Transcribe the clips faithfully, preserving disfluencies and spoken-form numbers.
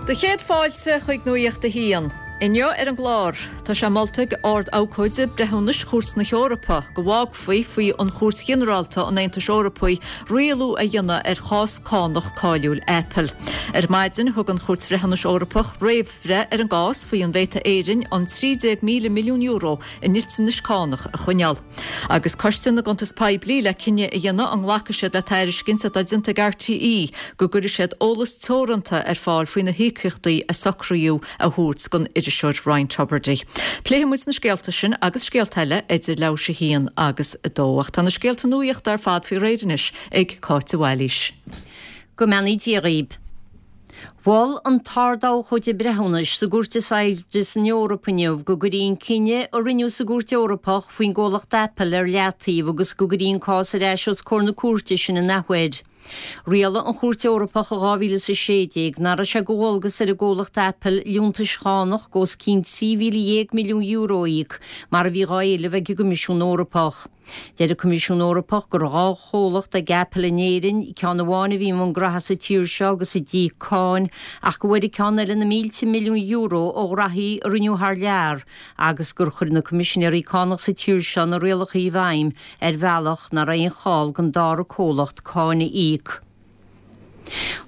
Do chéad fáilte chuig Nuacht a hAon. Inniu ar an gclár, tá sé molta ag Ard-Abhcóide Breithiúnais Chúirt na hEorpa go bhfágfaí faoi an Chúirt Ghinearálta an Aontais Eorpaigh rialú a dhéanamh ar chás cánach cáiliúil Apple. Ar maidin thug an Chúirt Bhreithiúnais Eorpach réamhbhreith ar an gcás faoi an bhféadfadh Éirinn an trí déag míle milliún euro i ndliteanais cánach a choinneáil. Agus Coiste na gCuntas Poiblí le cinneadh a dhéanamh an nglacfaidh siad le tairiscint atá déanta ag RTÉ go gcuirfidh siad eolas teoranta ar fáil faoi na híocaíochtaí a socraíodh a thabhairt don iriseoir Ryan Tubridy. Pléifidh muid na scéalta sin agus scéalta eile idir leathuair théis a haon agus a dó. Ach tá na scéalta nuachta ar fad faoi réir anois ag Cáit de Bhailís. Go mbeannaí Dia dhaoibh. Mhol an tArd-Abhcóide Breithiúnais sa gcúirt is airde san Eoraip inniu go gcuirfí an cinneadh a rinneadh sa gcúirt Eorpach faoin gcomhlacht Apple ar leataobh agus go gcuirfí an cás ar ais os comhair na cúirte sin in athuair. Rialaigh an Chúirt Eorpach i dhá mhíle is a sé déag nach raibh sé de dhualgas ar an gcomhlacht Apple liúntais chánach de os cionn trí mhíle dhéag milliún euro a íoc mar a bhí dhá éileamh ag an gCoimisiún Eorpach. Deir an Coimisiún Eorpach go raibh dhá chomhlacht ag Apple in Éirinn, ceann amháin a bhí i mbun graithe sa tír seo agus a d'íoc cáin, ach go bhfuair an ceann eile na mílte milliún euro ó ghraithí a rinneadh thar lear agus gur chuir na coimisinéirí cánach sa tír seo na rialacha i bhfeidhm ar bhealach nach raibh aon chall don dara comhlacht cáin a íoc.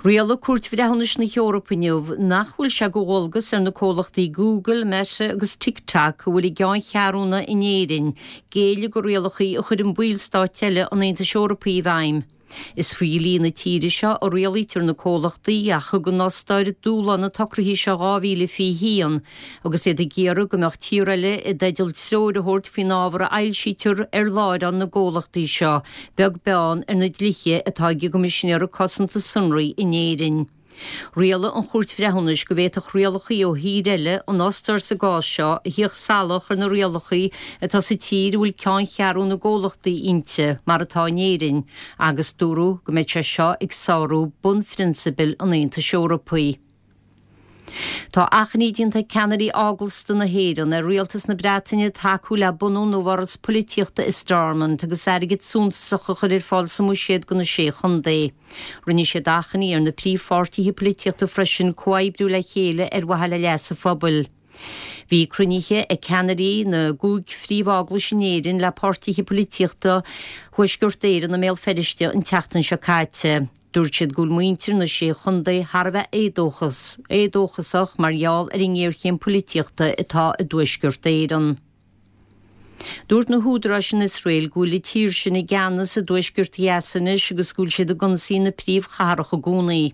Rialaigh Cúirt Bhreithiúnais na hEorpa inniu nach bhfuil sé de dhualgas ar na comhlachtaí Google, Meta agus TikTok a bhfuil a gceanncheathrúna in Éirinn géilleadh do rialacha a chuireann ballstáit eile an Aontais Eorpaigh i bhfeidhm. Is faoi dhlí na tíre seo a rialaítear na comhlachtaí ach thug an Ostair dúshlán na socruithe seo dhá mhíle fiche haon agus iad ag iarraidh go mbeadh tír eile i dteideal treoir a thabhairt faoin ábhar a fhoilsítear ar láithreán na gcomhlachtaí seo, beag beann ar na dlíthe atá ag an gCoimisinéir Cosanta Sonraí in Éirinn. Rialaigh an Chúirt Bhreithiúnais go bhféadfadh rialacha ó thír eile, an Ostair sa gcás seo, a theacht salach ar na rialacha atá sa tír a bhfuil ceanncheathrú na gcomhlachtaí inti, mar atá in Éirinn, agus dúradh go mbeadh sé seo ag sárú bunphrionsabail an Aontais Eorpaigh. Tá achainí déanta ag ceannairí eaglasta na hÉireann ar rialtas na Breataine tacú le bunú nua-fhoras polaitíochta i Stormont agus airgead suntasach a chur ar fáil sa mbuiséad do na Sé Chontae. Rinne siad achainí ar na príomhpháirtithe polaitíochta freisin comhoibriú le chéile ar mhaithe le leas an phobail. Bhí cruinnithe ag ceannairí na gcúig phríomh-eaglais in Éirinn le páirtithe polaitíochta Thuaisceart Éireann i mBéal Feirste an tseachtain seo caite. Dúirt siad go bhfuil muintir na Sé Chontae thar a bheith éadóchasach mar gheall ar an ngéarchéim polaitíochta atá i dTuaisceart Éireann. Dúirt na húdaráis in Iosrael go bhfuil an tír sin i gceannas i dtuaisceart Ghaza anois agus go bhfuil siad ag ionsaí na príomhchathrach i gcónaí.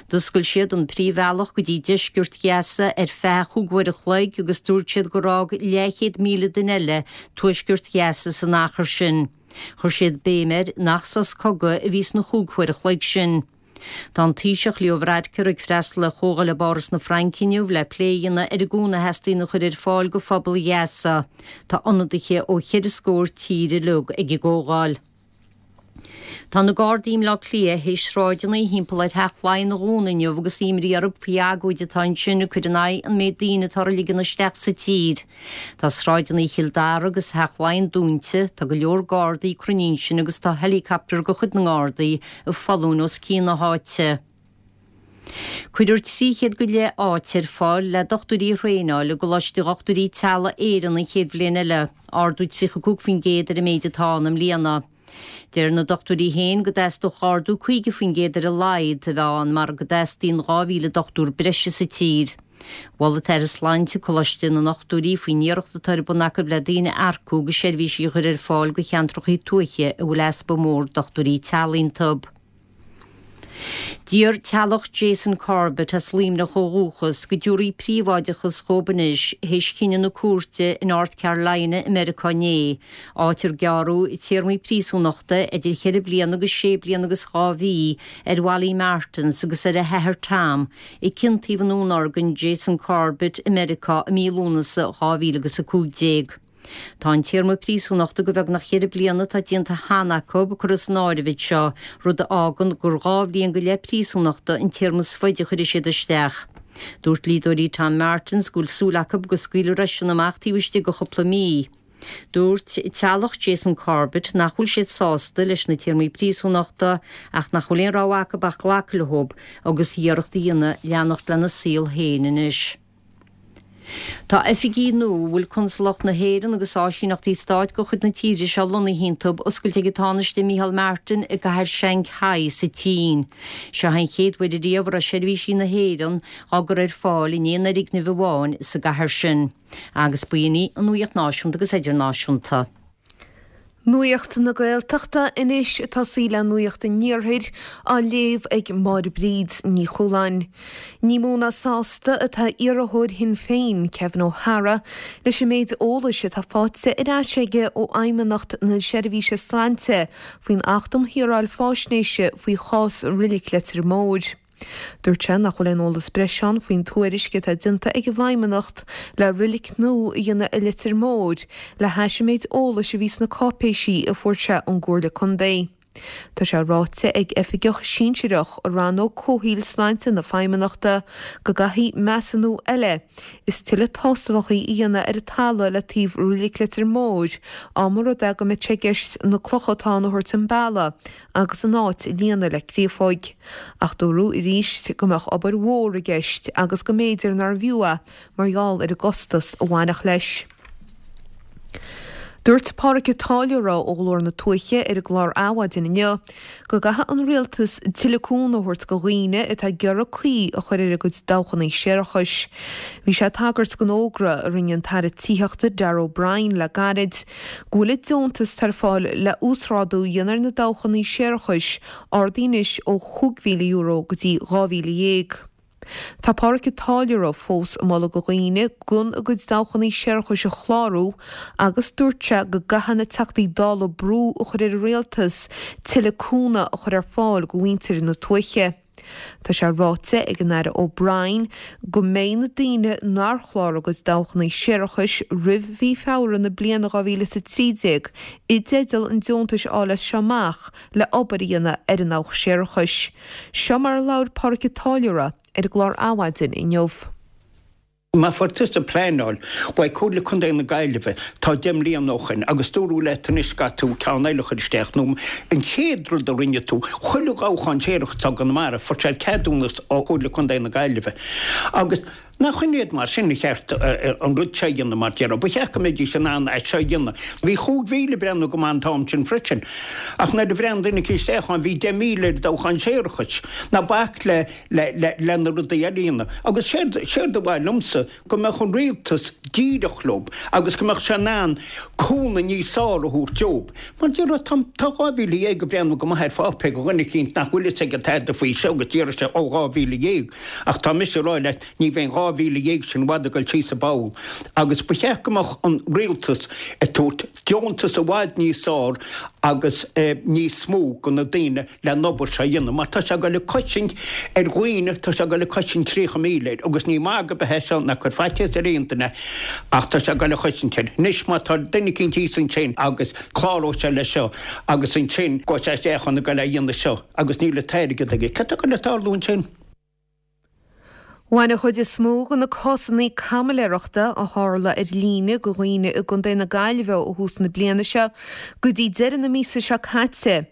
D'oscail siad an príomhbhealach go dtí deisceart Ghaza ar feadh chúig uair a chloig agus dúirt siad gur fhág leathchéad míle duine eile tuaisceart Ghaza san achar sin. Chuir siad béim air nach sos cogaidh a bhí sna chúig huair a chloig sin. Tá an Taoiseach Leo Varadkar ag freastal ar chomhdháil i bPáras na Fraince inniu le plé a dhéanamh ar an gcúnamh a theastaíonn a chur ar fáil do phobal Ghaza. Tá ionadaithe ó cheithre scór tír uilig ag an gcomhdháil. Tá na Gardaí i mBleá Cliath théis sráideanna thimpeall ar Theach Laighean a dhúnadh inniu agus imní orthu faoi agóid atá ansin ag cur in aghaidh an méid daoine atá á ligean isteach sa tír. Tá sráideanna Chill Dara agus Theach Laighean dúnta, tá go leor Gardaí cruinnithe ansin agus tá helicopter de chuid na nGardaí ag foluain os cionn na háite. Cuirfear trí chéad go leith áit ar fáil le dochtúirí a thraenáil i gColáiste Dhochtúirí Teaghlaigh Éireann an chéad bhliain eile, ardú tríocha cúig faoin gcéad ar an méid atá ann i mbliana. Deir na dochtúirí féin go dteastódh ardú caoga faoin gcéad ar a laghad a bheith ann mar go dteastaíonn dhá mhíle dochtúir breise sa tír. Mhol an tAire Sláinte Coláiste na nDochtúirí faoin iarracht atá ar bun acu le daoine a earcú agus seirbhísí a chur ar fáil do cheantracha tuaithe a bhfuil easpa mór dochtúirí teaghlaigh iontu. D'iarr teaghlach Jason Corbett, as Luimneach ó dhúchas, go dtabharfaí príobháideachas dhóibh anois théis chinneadh na cúirte in North Carolina i Meiriceá inné, áit ar gearradh téarmaí príosúnachta idir cheithre bliana agus sé bliana agus dhá mhí ar Wally Martins agus ar a hathair Tom i gciontaíbh i ndúnorgain Jason Corbett i Meiriceá i mí Lúnasa dhá mhíle agus a cúig déag. Tá an téarma príosúnachta de bheagnach cheithre bliana atá déanta cheana acu curtha san áireamh anseo, rud a fhágann gur dhá bhliain go leith príosúnachta an téarma is faide a chuirfidh siad isteach. Dúirt dlíodóirí Tom Martins go bhfuil súil acu go scaoilfear eisean amach taobh istigh de chúpla mí. Dúirt teaghlach Jason Corbett nach bhfuil siad sásta leis na téarmaí príosúnachta ach nach bhfuil aon rogha acu ach glacadh leo agus iarracht a dhéanamh leanacht lena saol féin anois. Tá oifigí nua a bhfuil Consalacht na hÉireann agus áisíneachtaí stáit de chuid na tíre seo lonnaithe iontu oscailte ag an Tánaiste Micheál Martin i gcathair Shanghai sa tSín. Seo an chéad uair riamh a raibh seirbhísí na hÉireann á gcur ar fáil in aon fhoirgneamh amháin sa gcathair sin. Agus b'in í an nuacht náisiúnta agus idirnáisiúnta. Nuacht na Gaeltachta anois ag tosaí le Nuacht an Iarthair á léamh ag Máire Bríd Ní Chualáin. Ní mó ná sásta atá iarrthóir Shinn Féin, Kevin O'Hara, leis an méid eolais atá faighte ar ais aige ó Fheidhmeannacht na Seirbhíse Sláinte faoin Acht um Shaoráil Faisnéise faoi chás Reilig Leitir Móir. Dúirt sé nach bhfuil aon eolas breise ann faoin tuairisc atá déanta ag an bhFeidhmeannacht le reilig nua a dhéanamh i Leitir Móir le hais an méid eolais a bhí sna cáipéisí a fuair sé ón gComhairle Contae. Tá sé ráite ag oifigeach sinsearach i rannóg comhshaoil sláinte na Feidhmeannachta go gcaithfidh measúnú eile is tuilleadh tástálacha a dhéanamh ar an talamh le taobh Reilig Leitir Móir dá mba rud é go mbeadh sé i gceist na clocha atá ann a thabhairt ón balla agus an áit a líonadh le créafóig. Ach dúradh arís go mbeadh obair mhór i gceist agus go mb'fhéidir nárbh fhiú é mar gheall ar an gcostas a bhainfeadh leis. Dúirt Pádraig Ó Táilliúra ó Ghlór na Tuaithe ar an gclár Adhmhaidin inniu go gcaithfidh an rialtas tuilleadh cúnamh a thabhairt do dhaoine atá ag iarraidh caoi a chur ar a gcuid dabhchanna séarachais. Bhí sé ag tagairt don fhógra a rinne an tAire Tithíochta Darragh O'Brien le gairid go bhfuil an deontas atá ar fáil le uasghrádú a dhéanamh ar na dabhchanna séarachais ardaithe anois ó chúig mhíle euro go dtí dhá mhíle dhéag. Tá Pádraig Ó Táilliúra fós ag moladh do dhaoine gan a gcuid dabhchanna séarachais a chlárú agus dúirt sé go gcaithfidh na Teachtaí Dála brú a chur ar an rialtas tuilleadh cúnamh a chur ar fáil do mhuintir na tuaithe. Tá sé ráite ag an Aire O'Brien go mbeidh na daoine nár chláraigh a gcuid dabhchanna séarachais roimh mhí Feabhra na bliana dhá mhíle is a trí déag i dteideal an deontais a fháil as seo amach le obair a dhéanamh ar an ndabhach séarachais. Seo mar a labhair Pádraig Ó Táilliúra ar an gclár Adhmhaidin inniu. Má fuair tusa pleanáil uaidh Comhairle Contae na Gaillimhe tá deich mbliana ó shoin agus dúradh leat anois caithfidh tú ceann eile a chur isteach nó an chéad rud a rinne tú, chuile dhabhachán séarachais atá i gConamara, fuair sé ceadúnas ó Chomhairle Contae na Gaillimhe agus nach in iad mar sin a cheart an rud seo a dhéanamh mar déarfá. Ba cheart go mbeidís in ann é seo a dhéanamh. Bhí chúig mhíle ag breathnú go maith an t-am sin freisin ach nuair a bhreathnaigh duine acu isteach ann bhí deich míle ar dabhchán séarachais. Ná bac le le le le na rudaí eile a dhéanamh. Agus séard séard a mhaith liomsa go mbeadh an rialtas díreach leo agus go mbeadh sé in ann cúnamh níos fearr a thabhairt dóibh. Mar déarfá tá tá dhá mhíle dhéag ag breathnú go maith ar pháipéar do dhuine eicínt nach bhfuil fhios aige tada faoi seo agus déarfaidh sé ó dhá mhíle dhéag ach tá mise ag rá leat ní bheidh an dhá mhíle dhéag sin i bhfad ag dul síos an bpoll agus ba cheart go mbeadh an rialtas ag tabhairt deontas i bhfad níos fearr agus níos mó do na daoine le an obair seo a dhéanamh mar tá sé ag dul ag cosaint ar dhaoine, tá sé ag dul ag cosaint tríocha míle air agus ní magadh ar bith é seo ná cur faitíos ar aon duine ach tá sé ag dul ag cosaint air. Anois má tá duine eicínt thíos ansin agus cláróidh sé leis seo agus ansin gabhfaidh sé isteach ann ag dul a dhéanamh seo agus níl an t-airgead aige, cad tá ag dul ag tarlú ansin? Bhain an chuid is mó de na cásanna caimiléireachta a tharla ar líne do dhaoine i gContae na Gaillimhe ó thús na bliana seo go dtí deireadh na míosa seo caite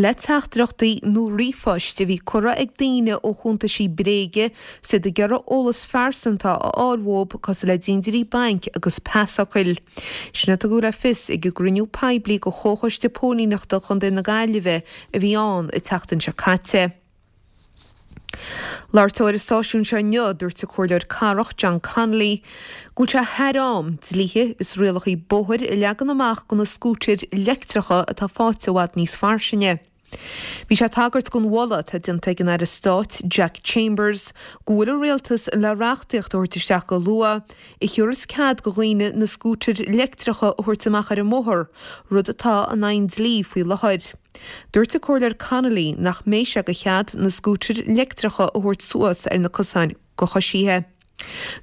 le teachtaireachtaí nó ríomhphoist a bhí curtha ag daoine ó chuntaisí bréige is iad ag iarraidh eolas phearsanta a fháil uathu cosúil le dintiúirí bainc agus pasfhocail. Sin a tugadh le fios ag an gcruinniú poiblí de Chomhchoiste Póilíneachta Chontae na Gaillimhe a bhí ann an tseachtain seo caite. Labhairt ar an stáisiún seo inniu, dúirt an Comhairleoir Cathrach John Connolly go bhfuil sé thar am dlíthe is rialacha bóthair a leagan amach do na scútair leictreacha atá faighte i bhfad níos fairsinge. Bhí sé ag tagairt don mholadh atá déanta ag an Aire Stáit Jack Chambers go bhfuil an Rialtas le reachtaíocht a thabhairt isteach go luath a thiúrfas cead do dhaoine na scútair leictreacha a thabhairt amach ar an mbóthar, rud atá in aghaidh an dlí faoi láthair. Dúirt an Comhairleoir Connolly nach mbeidh sé de chead na scútair leictreacha a thabhairt suas ar na cosáin do choisithe.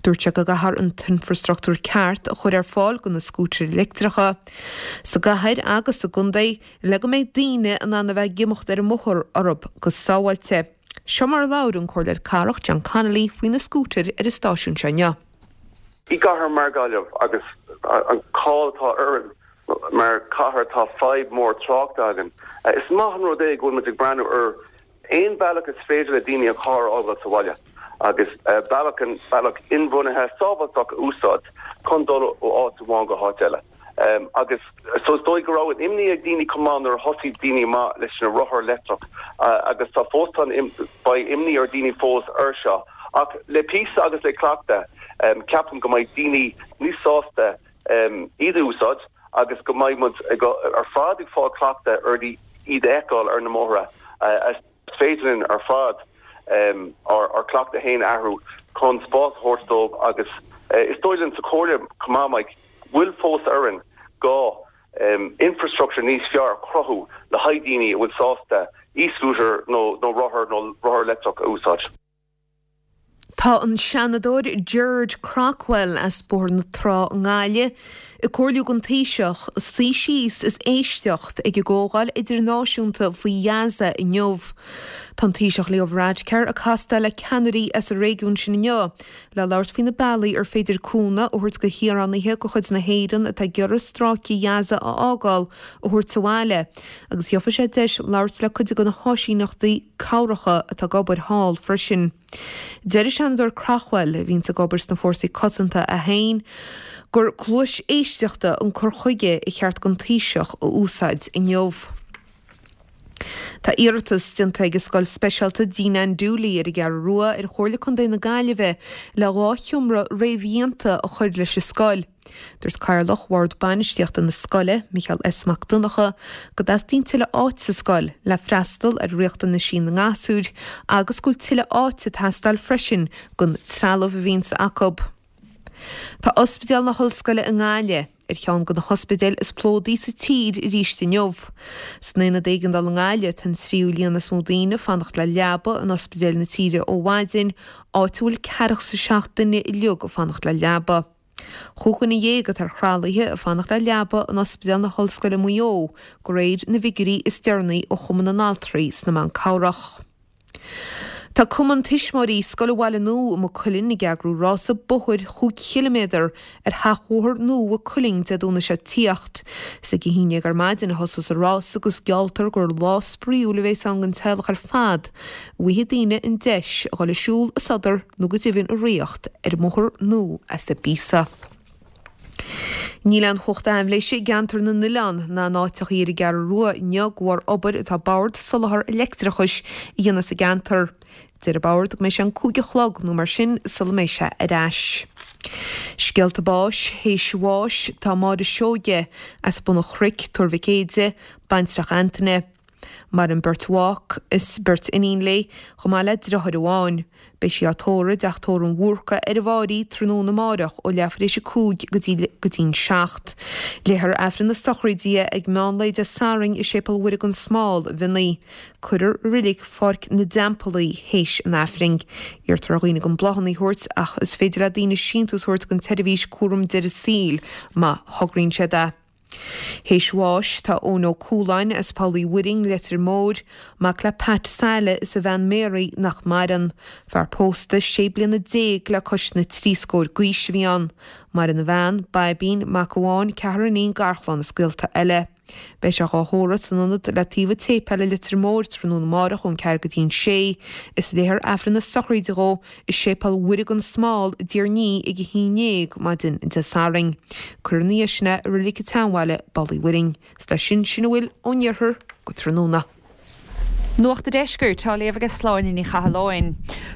Dúirt sé go gcaithfear an t-infreastruchtúr ceart a chur ar fáil do na scútair leictreacha sa gcathair agus sa gcontae le go mbeidh daoine in ann a bheith ag imeacht ar an mbóthar orthu go sábháilte. Seo mar a labhair an Comhairleoir Cathrach John Connolly faoi na scútair ar an stáisiún seo inniu. I gcathair mar Gaillimh agus an cáil atá orainn mar cathair tá fadhb mór tráchta againn. Is maith an rud é go bhfuil muid ag breathnú ar aon bealach is féidir le daoine an carr a fhágáil sa bhaile agus bealach an bealach inbhuanaithe sábháilteach a úsáid chun dul ó áit amháin go háit eile. Um, agus so is dóigh go raibh an imní ag daoine chomh maith nuair a thosaigh daoine amach leis na rothair leictreach uh, agus tá fós tá beidh imní ar daoine fós ar seo. Ach le píosa agus le cleachtadh um, ceapaim go mbeidh daoine níos sásta um, iad a úsáid agus go mbeidh muid ar fad ag fáil cleachtadh ar iad a fheiceáil ar na mbóithre. Uh, is féidir linn ar fad um, ár, ár cleachtadh féin a athrú chun spás a thabhairt dóibh agus uh, is dóigh linn sa chomhairle chomh maith bhfuil fós orainn gá um, infrastructure níos fearr cruthú le haghaidh daoine a bhfuil sásta e-scooter nó nó rothar nó rothar leictreach a úsáid. Tá an Seanadóir Gerard Craughwell as Bóthar na Trá i nGaillimh ag comhairliú don Taoiseach suí síos is éisteacht ag an gcomhdháil idirnáisiúnta faoi Ghaza inniu. Tá an Taoiseach Leo Varadkar ag castáil le ceannairí as an réigiún sin inniu, le labhairt faoi na bealaí ar féidir cúnamh a thabhairt do shaoránaithe de chuid na hÉireann atá ag iarraidh stráice Ghaza a fhágáil a thabhairt abhaile, agus gheobhaidh sé deis labhairt le cuid de na háisíneachtaí cabhracha atá ag obair thall freisin. Deir an Seanadóir Craughwell a bhíonn ag obair sna fórsaí cosanta é féin, gur cluas éisteachta an cur chuige ba cheart don Taoiseach a úsáid inniu. Tá iarratas déanta ag scoil speisialta Dean Ann Dooley ar an gCeathrú Rua ar Chomhairle Contae na Gaillimhe le dhá sheomra réamhdhéanta a chur leis an scoil. Dúirt Cathaoirleach Bhord Bainistíochta na scoile, Micheál S. Mac Donncha, go dteastaíonn tuilleadh áit sa scoil le freastal ar riachtanaisí na ngasúr agus go bhfuil tuilleadh áite ag teastáil freisin don trealamh a bhíonns acu. Tá Ospidéal na hOllscoile i nGaillimh ar cheann de na hospidéil is plódaí sa tír arís inniu. San aonad éigeandála i nGaillimh tá an tríú líon is mó daoine ag fanacht le leaba in ospidéil na tíre ó mhaidin, áit a bhfuil ceathracha is a seacht duine uilig ag fanacht le leaba. Chúig dhuine dhéag atá ar thralaithe ag fanacht le leaba in Ospidéal na hOllscoile Maigh Eo, de réir na bhfigiúirí is deireanaí ó Chumann na nAltraí sna Meán Cabhrach. Tá Cumann Tuismitheoirí Scoil an Bhaile Nua i Maigh Cuilinn ag eagrú rása bóthair chúig chiliméadar ar sheachbhóthar nua Mhaigh Cuilinn Dé Domhnaigh seo ag tíocht. Is ag a haon déag ar maidin a thosós an rás agus gealltar gur lá spraíúil a bheas ann don teaghlach ar fad. Bhfaighidh daoine an deis a dhul ag siúl, ag sodar nó go deimhin ag ritheacht ar an mbóthar nua as an bpíosa. Níl aon chumhacht aibhléise i gceantar na n-oileán ná in áiteacha ar an gCeathrú Rua inniu de bharr obair atá Bord Soláthair Leictreachais a dhéanamh sa gceantar. Deir an Bord go mbeidh sé an cúig a chlog nó mar sin sula mbeidh sé ar ais. Scéalta báis, théis bháis, tá Máire Seoige as Bun an Chnoic, Tuar Mhic Éide, baintreach Antaine. Maireann beirt mhac is beirt iníon léi, chomh maith le deartháir amháin. Beidh sí á tórramh i dTeach Tórraimh an Bhúrca ar an bhFáirí tráthnóna amárach ó leathuair tar éis a cúig go dtí go dtí'n seacht. Léifear Aifreann na sochraide ag meán lae Dé Sathairn i Séipéal Mhuire gan Smál, Mhionnaí. Cuirfear i reilig Pháirc na dTeampall í théis an Aifrinn. Iarrtar ar dhaoine gan bláthanna a thabhairt ach is féidir le daoine síntiús a thabhairt don tseirbhís cúram deireadh saoil má thograíonn siad é. Théis bháis tá Eoin Ó Cualáin as Poll Uí Mhuirinn, Leitir Móir, mac le Pat Saile is a bhean Mary nach maireann. Fear pósta sé bliana déag le cois na trí scór d'aois a bhí ann. Maireann a bhean, Baibín, mac amháin, ceathrar iníon, garchlann is gaolta eile. Beidh sé dhá thórramh san ionad le taobh an tséipéil i Leitir Móir tráthnóna amárach ón ceathair go dtí'n sé, is léifear Aifreann na sochraide dhó i Séipéal Mhuire gan Smál i dTír an Fhia ag a haon déag maidin Dé Sathairn. Cuirfear ina dhiaidh sin é i Reilig an tSeanbhaile, Baile Uí Mhuirinn. Is leis sin sin a bhfuil ón iarthar go tráthnóna. Nuacht an Deiscirt á léamh ag Sláine Ní Chathalláin.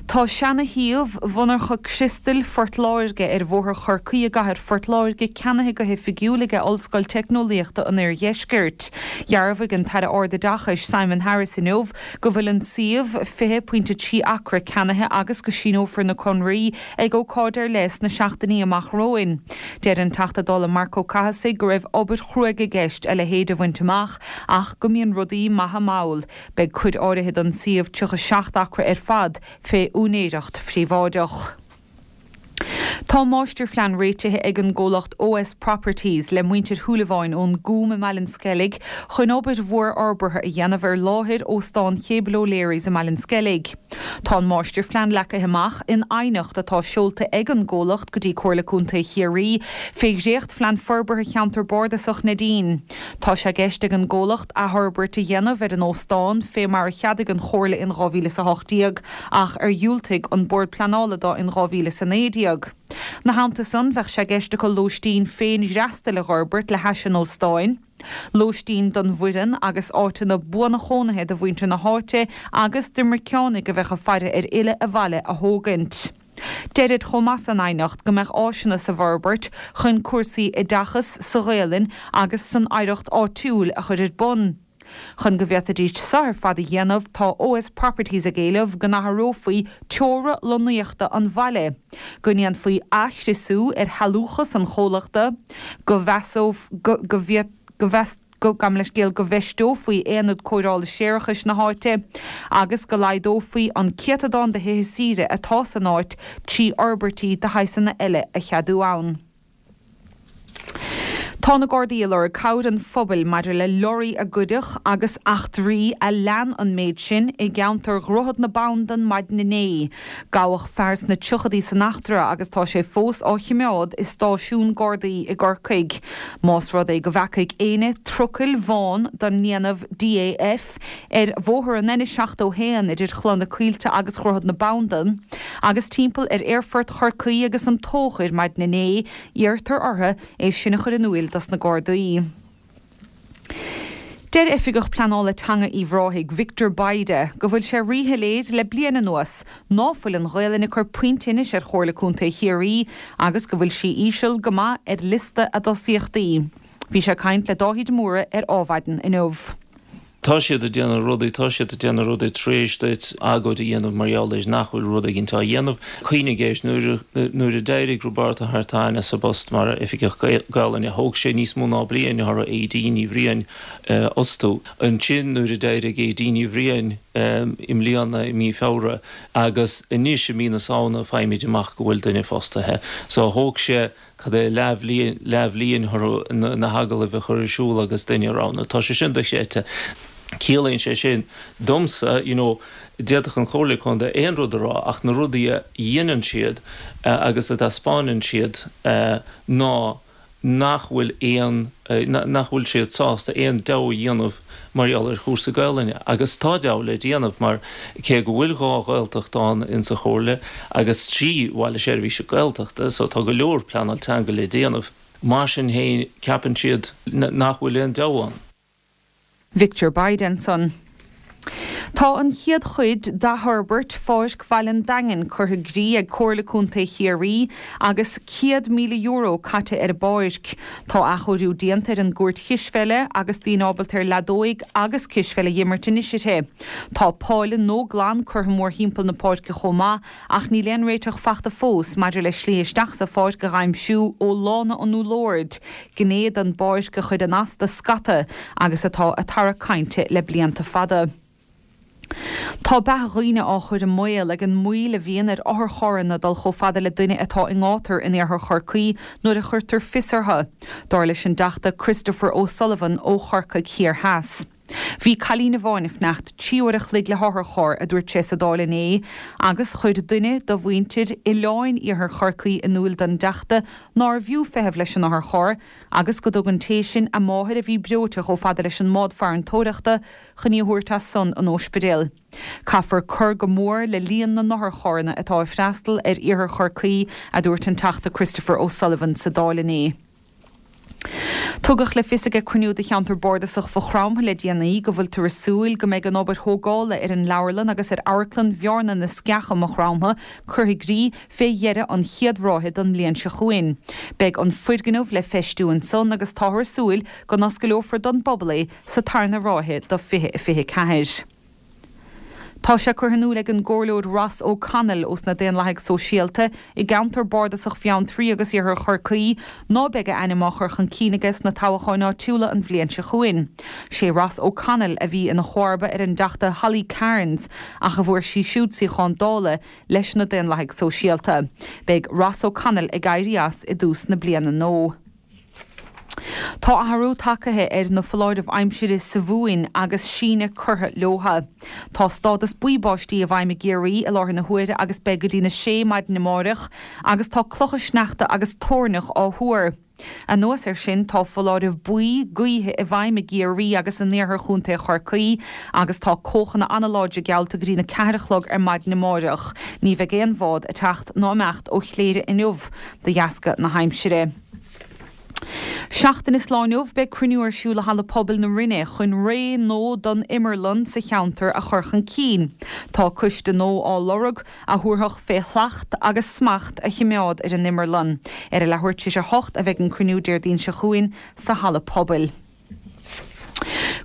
Tá seana-shuíomh mhonarcha criostail Phort Láirge ar Bhóthar Chorcaí i gcathair Phort Láirge ceannaithe go hoifigiúil ag Ollscoil Teicneolaíochta an Oirdheiscirt. Dhearbhaigh an tAire Ardoideachais Simon Harris inniu go bhfuil an suíomh fiche pointe trí acra ceannaithe agus go síneofar na conarthaí ag ócáid ar leith sna seachtainí amach romhainn. Deir an Teachta Dála Marc Ó Cathasaigh go raibh obair chruaidh i gceist a leithéid a bhaint amach ach go mbíonn rudaí maithe mall. Beidh cuid áirithe den suíomh tríocha seacht acra ar fad fé úinéireacht phríobháideach. Tá máistirphlean réitithe ag an gcomhlacht OS Properties le muintir Shúilleabháin ón gCúm i mBaile an Sceilg chun obair mhór fhorbartha a dhéanamh ar láthair Óstán Chéibel O'Leary's i mBaile an Sceilg. Tá an máistirphlean leagtha amach in aighneacht atá seolta ag an gcomhlacht go dtí Comhairle Contae Chiarraí fé dhréachtphlean forbartha Cheantar Bardasach Neidín. Tá sé i gceist ag an gcomhlacht athfhorbairt a dhéanamh ar an óstán fé mar a cheadaigh an Chomhairle in dhá mhíle is a hocht déag ach ar dhiúltaigh an Bord Pleanála dó in dhá mhíle is a naoi déag. 'Na theannta san, bheadh sé i gceist acu lóistín féinfhreastail a dh'fhorbairt le hais an óstáin, lóistín don bhfoireann agus áiteanna buanchónaithe do mhuintir na háite agus d'imirceánaigh a bheadh ag faire ar fhilleadh abhaile a thógaint. Deirid chomh maith san aighneacht go mbeadh áiseanna sa bhforbairt chun cúrsaí oideachais sa Ghaelainn agus san oidhreacht áitiúil a chur ar bun. Chun go bhféadfaidís seo ar fad a dhéanamh, tá OS Properties ag éileamh go n-athrófaí teora lonnaíochta an bhaile, go ndéanfaí athchriosú ar shealúchas an chomhlachta, go gabh mo leithscéal, go bhfeisteofaí aonad cóireála séarachais na háite agus go laghdófaí an céatadán de thithe saoire atá san áit trí fhorbairtí de shaghsanna eile a cheadú ann. Tá na Gardaí ag lorg cabhair an phobail maidir le lorraí a goideadh agus eachtraí a lean an méid sin i gceantar Dhroichead na Bandan maidin inné. Gabhadh fear sna tríochaidí san eachtra agus tá sé fós á choimeád i stáisiún Gardaí i gCorcaigh. Más rud é go bhfeacaigh éinne trucail bhán den ndéanamh DAF ar bhóthar an N seachtó a haon idir Chloich na Coillte agus Dhroichead na Bandan agus timpeall ar Aerfort Chorcaí agus an Tóchair maidin inné, iarrtar orthu é sin a chur in iúil dos na Gardaí. Deir Oifigeach Pleanála Teanga Uíbh Ráthaigh, Victor Bayda, go bhfuil sé ríshoiléir le bliain anuas ná fuil an Ghaelainn ag cur puinn tinnis ar Chomhairle Contae Chiarraí agus go bhfuil sí íseal go maith ar liosta a dtosaíochtaí. Bhí sé ag caint le Dáithí de Mórdha ar Adhmhaidin inniu. Tá siad ag déanamh rudaí, tá siad ag déanamh rudaí tar éis duit agóid a dhéanamh mar gheall air nach bhfuil rud éigin á dhéanamh. Cuimhnigh air, nuair a, nuair a d'éirigh Roibeárd Ó hArtáin as a phost mar Oifigeach Gaelainne, thóg sé níos mó ná bliain orthu Aedín Ní Bhriain a fhostú. Ansin nuair a d'éirigh Aedín Ní Bhriain i mbliana i mí Feabhra agus anois i mí na Samhna faighimid amach go bhfuil duine fostaithe. So thóg sé cad é leathbhliain, leathbhliain orthu na hagallaimh a chur ar siúl agus duine a roghnú. Tá sé sin dochreidte. Ciallaíonn sé sin domsa, you know, d'fhéadfadh an Chomhairle Contae aon rud a rá ach na rudaí a dhéanann siad agus a dtaispeánann siad ná nach bhfuil aon, nach bhfuil siad sásta aon deabhadh a dhéanamh mar gheall ar chúrsaí Gaelainne. Agus tá deabhadh le déanamh mar cé go bhfuil dhá Ghaeltacht ann insa Chomhairle agus trí Bhaile Seirbhíse Gaeltachta so tá go leor pleanáil teanga le déanamh, mar sin féin ceapann siad nach bhfuil aon deabhadh ann. Victor Bayda ansan. Tá an chéad chuid d'athfhorbairt Pháirc Bhaile an Daingin curtha i gcrích ag Comhairle Contae Chiarraí agus céad míle euro caite ar an bpáirc. Tá athchóiriú déanta ar an gcúirt chispheile agus daoine ábalta ar leadóig agus cispheil a dh'imirt anois uirthi. Tá páile nua glan curtha mórthimpeall na páirce chomh maith ach níl aon réiteach fachta fós maidir le slí isteach sa pháirc a dh'aimsiú ó Lána an Úllóird, gné den bpáirc a chuireann as do scata agus atá ag tarrac cainte le blianta fada. Tá beatha dhaoine á chur i mbaol ag an moill a bhíonn ar otharcharranna dul chomh fada le duine atá i ngátar in iarthar Chorcaí nuair a chuirtear fios orthu, dar leis an dTeachta Christopher O'Sullivan ó Chorcaigh Thiar Theas. Bhí cailín amháin ag fanacht trí uair a chloig le hotharcharr, a dúirt sé sa Dáil inné, agus chuir duine de mhuintir oileáin iarthar Chorcaí in iúl don dTeachta nárbh fhiú feitheamh leis an otharcharr agus go dtug an té sin a máthair a bhí breoite chomh fada leis an mbád farantóireachta chun í a thabhairt as san an óispidéal. Caithfear cur go mór le líon na n-otharcharranna atá ag freastal ar iarthar Chorcaí, a dúirt an Teachta Christopher O'Sullivan sa Dáil inné. Tugadh le fios ag cruinniú de cheantar bardasach Mhaigh Chromtha le déanaí go bhfuiltear ag súil go mbeidh an obair thógála ar an leabharlann agus ar amharclann Bhearna na Sceach i Maigh Chromtha curtha i gcrích fé dheireadh an chéad ráithe den mbliain seo chugainn. Beidh an foirgneamh le feistiú ansan agus táthar ag súil go n-oscaileofar don bpobal é sa tarna ráithe de fiche fiche ceathair. Tá sé curtha in iúl ag an gComhairleoir Ross O'Connell ós na Daonlathaigh Sóisialta i gceantar bardasach Bheanntraí agus Iarthar Chorcaí ná beidh a ainm á chur chun cinn aige sna toghcháin áitiúla an bhliain seo chugainn. Sé Ross O'Connell a bhí ina chomharba ar an dTeachta Holly Cairns ach a bhfuair sí siúd suíochán Dála leis na Daonlathaigh Sóisialta. Beidh Ross O'Connell ag éirí as i dtús na bliana nua. Tá athrú tagtha ar na foláirimh aimsire sa Mhumhain agus síneadh curtha leotha. Tá stádas buí báistí i bhfeidhm i gCiarraí i láthair na huaire agus beidh go dtí na sé maidin amáireach agus tá clocha sneachta agus toirneach á thuar. Anuas air sin tá foláireamh buí gaoithe i bhfeidhm i gCiarraí agus in iarthar Chontae Chorcaí agus tá cóchanna an-láidre geallta go dtí na ceathair a chlog ar maidin amáireach. Ní bheidh aon bhád ag teacht ná imeacht ó Chléire inniu de dheasca na haimsire. Seachtain is lá inniu beidh cruinniú ar siúl i Halla Pobail na Rinne chun ré nua don imearlann sa cheantar a chur chun cinn. Tá coiste nua á lorg a thabharfadh fé shlacht agus smacht a choimeád ar an imearlann. Ar a leathuair tar éis a hocht a bheidh an cruinniú Déardaoin seo chugainn sa Halla Pobail.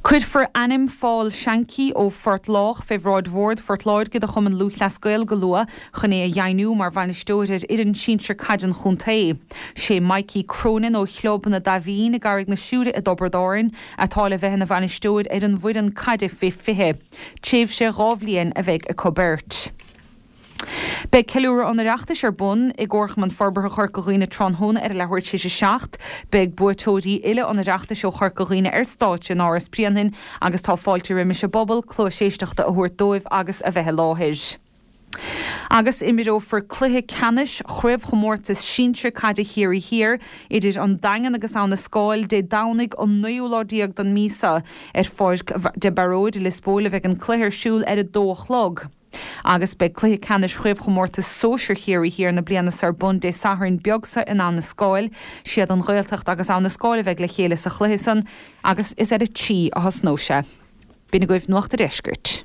Cuirfear ainm Phól Shankey ó Phort Lách fé bhráid Bhord Phort Láirge de Chumann Lúthchleas Gael go luath chun é a dheimhniú mar bhainisteoir ar fhoireann sinsir caide an chontae. Sé Mikey Cronin ó Chlub na Daimhín i gCarraig na Siúire i dTiobraid Árann atá le bheith ina bhainisteoir ar an bhfoireann caide fé fiche. Tréimhse dhá bhliain a bheidh acu beirt. Beidh ceiliúradh an Oireachtais ar bun i gComharchumann Forbartha Chorca Dhuibhne tráthnóna ar a leathuair tar éis a seacht. Beidh buaiteoirí uile an Oireachtais ó Chorca Dhuibhne ar stáitse in Áras Bhréanainn agus tá fáilte roimis an bpobal cluas éisteachta a thabhairt dóibh agus a bheith i láthair. Agus imreofar cluiche ceannais chraobhchomórtas sinsir caide Chiarraí Thiar idir an Daingean agus Abha na Scáil Dé Domhnaigh an naoú lá déag den mhí seo. Ar Pháirc de Barróid i Lios Póil a bheidh an cluiche ar siúl ar a dó a chlog. Agus beidh cluiche ceannais chraobhchomórtas sóisir Chiarraí Thiar na bliana seo ar bun Dé Sathairn beag seo in Abha na Scáil. Siad an Ghaeltacht agus Abha na Scáil a bheidh le chéile sa chluiche san agus is ar a trí a thosnóidh sé. B'in agaibh Nuacht an Deiscirt.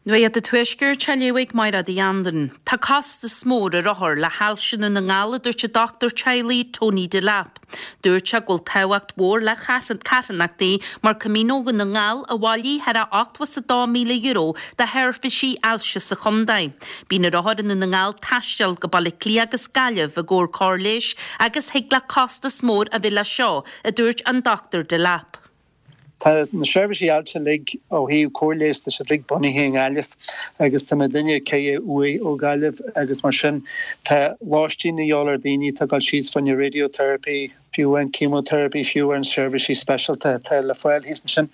Nuacht an Tuaiscirt á léamh ag Máire Uí Anluain. Tá costas mór ar othair le hailse i nDún na nGall a dúirt an dochtúir teaghlaigh Tony Delap. Dúirt sé go bhfuil tábhacht mhór le carthanachtaí mar Camino Dhún na nGall a bhailigh thar a ochtó is a dó míle euro do sheirbhísí ailse sa chontae. Bíonn ar othair i nDún na nGall taisteal go Baile Átha Cliath agus Gaillimh i gcomhair cóir leighis agus thig le costas mór a bheith leis seo, a dúirt an Dochtúir Delap. Tá na seirbhísí ailse uilig ó thaobh cóir leighis tá siad uilig bunaithe i nGaillimh agus tá mé duine céad uaidh ó Ghaillimh agus mar sin tá lóistín a dhíobháil ar daoine atá ag dul síos fá choinne radiotherapy, fiú an chemotherapy, fiú an seirbhísí speisialta atá le fáil thíos ansin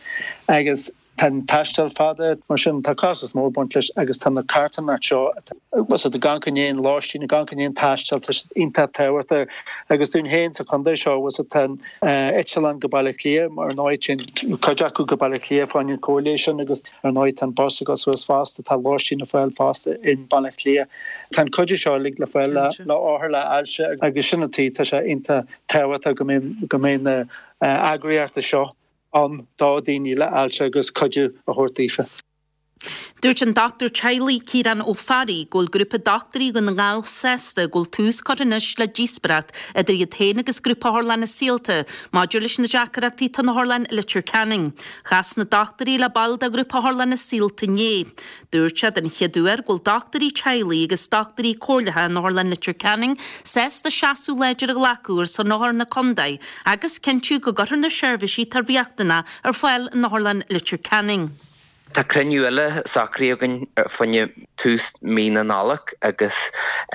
agus tá an taisteal fada mar sin tá costas mór baint leis agus tá na carthanachtaí seo was it gan go ndéan lóistín gan go ndéan taisteal tá siad iontach tábhachtach agus dúinn féin sa chontae seo was it an eitleán go Baile Átha Cliath mar ndóigh sin cuid acu go Baile Átha Cliath fá choinne an cóir leighis sin agus ar ndóigh tá an bus ag dul suas fosta tá lóistín le fáil fosta in Baile Átha Cliath. Tá an cuid seo uilig le fáil le le othair le ailse agus sin an tuige tá sé iontach tábhachtach go mbeidh go mbeidh na eagraíochtaí seo ann do daoine le ailse agus cuidiú a thabhairt daofa. Dúirt an dochtúir teaghlaigh Ciarán Ó Fearraigh go bhfuil grúpa dochtúirí Dhún na nGall sásta go bhfuil tús curtha anois le díospóireacht idir iad féin agus grúpa otharlanna Saolta maidir leis na deacrachtaí atá in otharlann Leitir Ceanainn. Chas na dochtúirí le baill de ghrúpa otharlanna Saolta inné. Dúirt sé den chéad uair go bhfuil dochtúirí teaghlaigh agus dochtúirí comhairleacha in otharlann Leitir Ceanainn sásta seasamh láidir a ghlacadh ar son othair na contae agus cinntiú go gcuirfear na seirbhísí atá riachtanach ar fáil in otharlann Leitir Ceanainn. Tá cruinniú eile socraithe againn fá choinne tús mí na Nollag agus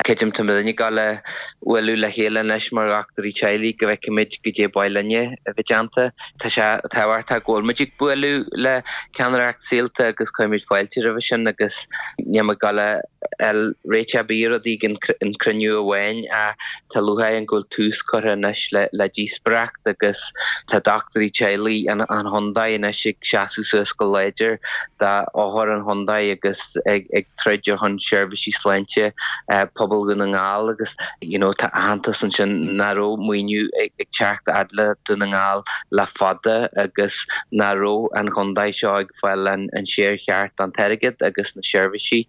creidim tá muidne ag gabháil a bhualadh le chéile anois mar dhochtúirí teaghlaigh go bhfeicfimid goidé ba mhaith linne a bheith déanta. Tá sé tábhachtach go bhfuil muid ag bualadh le ceannaireacht Saolta agus cuirimid fáilte roimhe sin agus níl muid ag gabháil a fháil réiteach ar bith ar rudaí ag an cruinniú amháin ach tá lúcháir orainn go bhfuil tús curtha anois le le díospóireacht agus tá dochtúirí teaghlaigh an chontae anois ag seasamh suas go láidir d'othair an chontae agus ag ag troid ar shon seirbhísí sláinte pobal Dhún na nGall agus you know tá aitheantas ansin nach raibh maoiniú ag ag teacht fhad le Dún na nGall le fada agus nach raibh an chontae seo ag fáil an an sciar cheart den airgead agus na seirbhísí.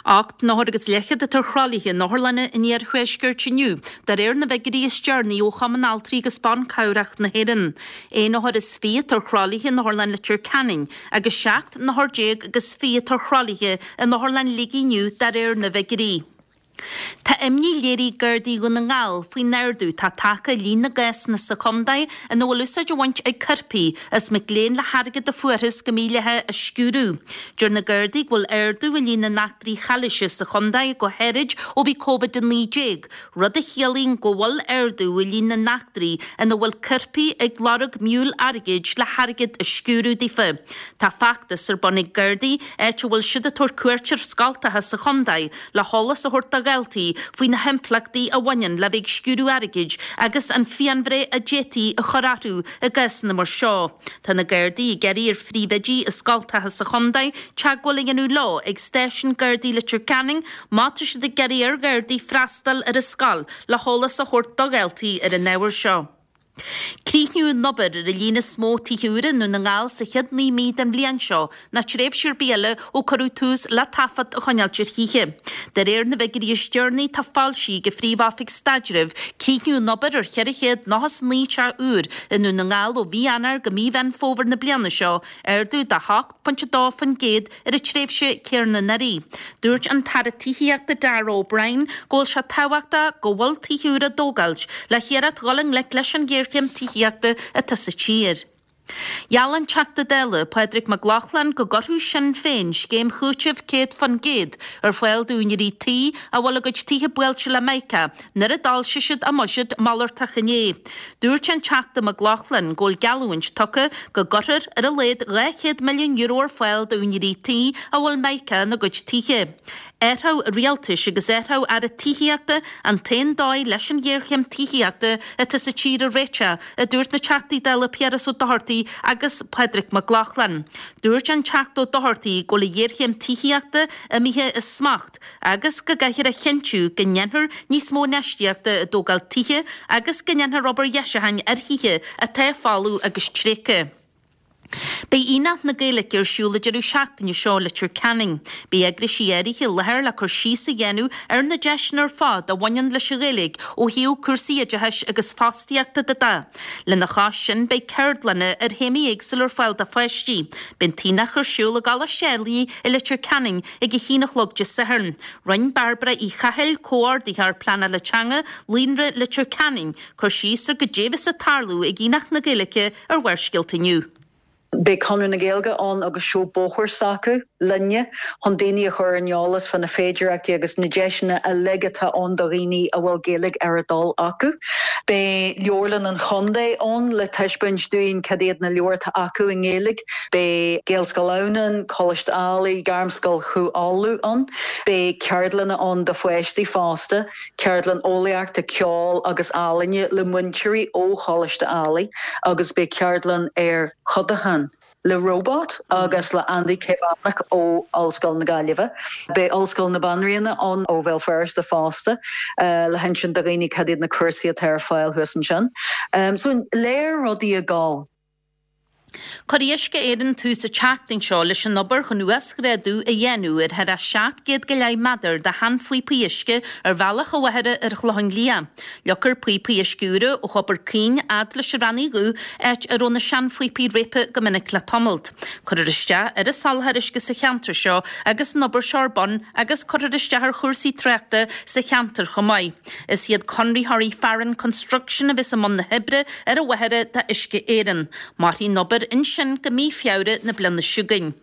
Ocht n-othar agus leathchéad atá ar thralaithe in otharlanna an iarthuaiscirt inniu, de réir na bhfigiúirí is deireanaí ó Chumann Altraí agus Ban Cabhrach na hÉireann. Aon othar is fiche atá ar thralaithe in Otharlann Leitir Ceanainn agus seacht n-othar déag agus fiche atá ar thralaithe in Otharlann Shligigh inniu, de réir na bhfigiúirí. Tá imní léirithe ag Gardaí Dhún na nGall faoin ardú atá tagtha ar líon na gcásanna sa chontae ina bhfuil úsáid á bhaint ag coirpigh is mic léinn le hairgead a fuarthas go mídhleathach a sciúradh. Deir na Gardaí go bhfuil ardú i líon na n-eachtraí chalaoise sa chontae go háirid ó bhí Covid a naoi déag, rud a chiallaíonn go bhfuil ardú i líon na n-eachtraí ina bhfuil coirpigh ag lorg miúil airgid le hairgead a sciúradh daofa. Tá feachtas ar bun ag Gardaí áit a bhfuil siad ag tabhairt cuairt ar scoltacha sa chontae le heolas a thabhairt do dhaltaí faoi na himpleachtaí a bhaineann le bheith ag sciúradh airgid agus an phianbhreith a d'fhéadfaí a chur orthu i gcásanna mar seo. Tá na Gardaí ag iarraidh ar phríomhoidí i scoltacha sa chontae teagmháil a dhéanamh leo ag Stáisiún Gardaí Leitir Ceanainn má tá siad ag iarraidh ar Ghardaí freastal ar a scoil le heolas a thabhairt do dhaltaí ar an ábhar seo. Críochnaíodh an obair ar an líon is mó tithe úra i nDún na nGall sa chéad naoi mí den bhliain seo ná tréimhse ar bith eile ó cuireadh tús le taifead a choinneáilt ar thithe. De réir na bhfigiúirí is deireanaí atá foilsithe ag an Phríomh-Oifig Staidrimh, críochnaíodh an obair ar cheithre chéad nócha is naoi teach úr i nDún na nGall ó mhí Eanáir go mí Mheán Fómhair na bliana seo, ardú de hocht pointe dó faoin gcéad ar an tréimhse chéanna anuraidh. Dúirt an tAire Tithíochta Darragh O'Brien go bhfuil sé tábhachtach go bhfuil tithe úra á dtógáilt le hiarracht dhul i ngleic leis an ghéarchéim tithíochta atá sa tír. Gheall an Teachta Dála, Pádraig Mac Lochlainn, go gcuirfeadh Sinn Féin scéim chúitimh céad faoin gcéad ar fáil d'úinéirí tí a bhfuil a gcuid tithe buailte le mica nuair a d'fhoilsigh siad a mbuiséad malartach inné. Dúirt an Teachta Mac Lochlainn go bhfuil geallúint tugtha go gcuirfear ar a laghad dhá chéad milliún euro ar fáil d'úinéirí tí a bhfuil mica ina gcuid tithe. Athrú rialtais agus athrú Aire Tithíochta an t-aon dóigh leis an ghéarchéim tithíochta atá sa tír a réiteach, a dúirt na Teachtaí Dála Piaras Ó Dochartaigh agus Pádraig Mac Lochlainn. Dúirt an Teachta Ó Dochartaigh go bhfuil an ghéarchéim tithíochta imithe as smacht agus go gcaithfear a chinntiú go ndéanfar níos mó infheistíochta i dtógáil tithe agus go ndéanfar obair dheisiúcháin ar thithe atá folamh agus tréigthe. Beidh Aonach na Gaeilge ar siúl an deireadh seachtaine seo i Leitir Ceanainn. Beidh eagraisí áirithe i láthair le cur síos a dhéanamh ar na deiseanna ar fad a bhaineann leis an Ghaeilge ó thaobh cúrsaí oideachais agus fostaíochta de. Lena chois sin beidh ceardlanna ar théamaí éagsúla ar fáil do pháistí. Beidh an t-aonach ar siúl i gColáiste Ailigh i Leitir Ceanainn ag a haon a chlog Dé Sathairn. Rinne Bairbre Uí Chathail, Comhordaitheoir Pleanála Teanga, Líonra Leitir Ceanainn, cur síos ar goidé a bheas ag tarlú ag Aonach na Gaeilge ar Bharrscéalta inniu. Beidh Conradh na Gaeilge ann agus seó bóthair s'acu linne chun daoine a chur ar an eolas fá na féidearthachtaí agus na deiseanna uilig atá ann do dhaoine a bhfuil Gaeilge ar a dtoil acu. Beidh Leabharlann an Chontae ann le taispeáint dúinn cad iad na leabhair atá acu i nGaeilge. Beidh Gaelscoil Adhamhnáin, Coláiste Ailigh, Gairmscoil Chú Uladh ann. Beidh ceardlanna ann do pháistí fosta, ceardlann eolaíochta, ceoil agus ealaíne le múinteoirí ó Choláiste Ailigh agus beidh ceardlann ar chodachán le robot agus le Andy Caomhánach ó Ollscoil na Gaillimhe. Beidh Ollscoil na Banríona ann ó Bhéal Feirste fosta le hinsint do dhaoine cad iad na cúrsaí atá ar fáil thuas ansin. So lear rudaí ag gabháil. Cuirfidh Uisce Éireann tús an tseachtain seo leis an obair chun uasghrádú a dhéanamh ar thar seacht gcéad go leith méadar de sheanphíopaí uisce ar bhealach an Mhachaire ar an Chlochán Liath. Leagfar píopaí uisce úra ó Thobar Caoin fhad leis an Raithin Dhubh, áit a raibh na seanphíopaí réabtha go minic le tamalt. Cuirfear isteach ar an soláthar uisce sa cheantar seo agus an obair seo ar bun agus cuirfear isteach ar chúrsaí tráchta sa cheantar chomh maith. Is iad conraitheoirí Farren Construction a bheas i mbun na hoibre ar an Mhachaire do Uisce Éireann. Mairfidh an obair ansin go mí Feabhra na bliana seo chugainn.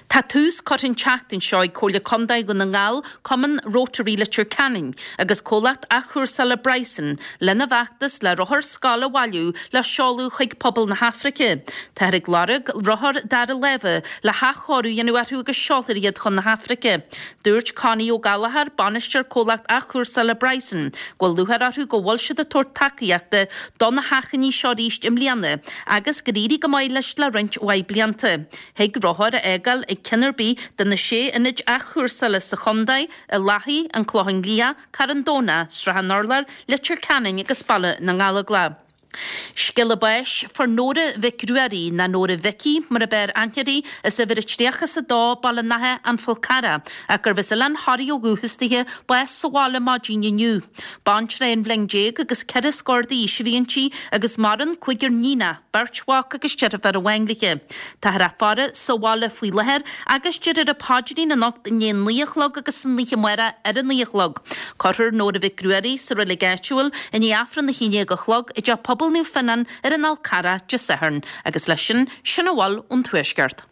Tá tús curtha an tseachtain seo ag Comhairle Contae Dhún na nGall, Cumann Rotary Leitir Ceanainn agus comhlacht athchúrsála Bryson lena bhfeachtas le rothair scoile a bhailiú le seoladh chuig pobal na hAfraice. Táthar ag lorg rothar dara láimhe le hathchóiriú a dhéanamh orthu agus seolfar iad chun na hAfraice. Dúirt Connie Ó Gallchóir, bainisteoir comhlacht athchúrsála Bryson, go bhfuil lúcháir orthu go bhfuil siad ag tabhairt tacaíochta do na hachainí seo arís i mbliana agus gur éirigh go maith leis le roinnt mhaith blianta. Thig rothar a fhágáil ag ceann ar bith de na sé ionad athchúrsála sa chontae, i Lathaí, An Clochán Liath, Carn Domhnach, Srath an Urláir, Leitir Ceanainn agus Baile na nGallóglach. Scéala báis, Fuair Nóra Mhic Ruairí, ná Nóra Mhicí mar ab fhearr aithne uirthi, as uimhir a tríocha is a dó, Baile an Átha, An Fál Carrach, ach gurbh as Oileán Thoraí ó dhúchas dithe, bás sa bhaile maidin inniu. Baintreach aon bhliain déag agus ceithre scór d'aois a bhí inti agus maireann cúigear níonach, beirt mhac agus deirfiúr amháin léi. Táthar á faire sa bhaile faoi láthair agus déarfar an paidrín anocht i ndiaidh a naoi a chlog agus san oíche amárach ar a naoi a chlog. Cuirfear Nóra Mhic Ruairí sa reilig áitiúil i ndiaidh Aifreann a haon déag a chlog i dTeach Pobail Naomh Fionnán ar an Fhál Carrach Dé Sathairn agus leis sin, sin a bhfuil ón Tuaisceart.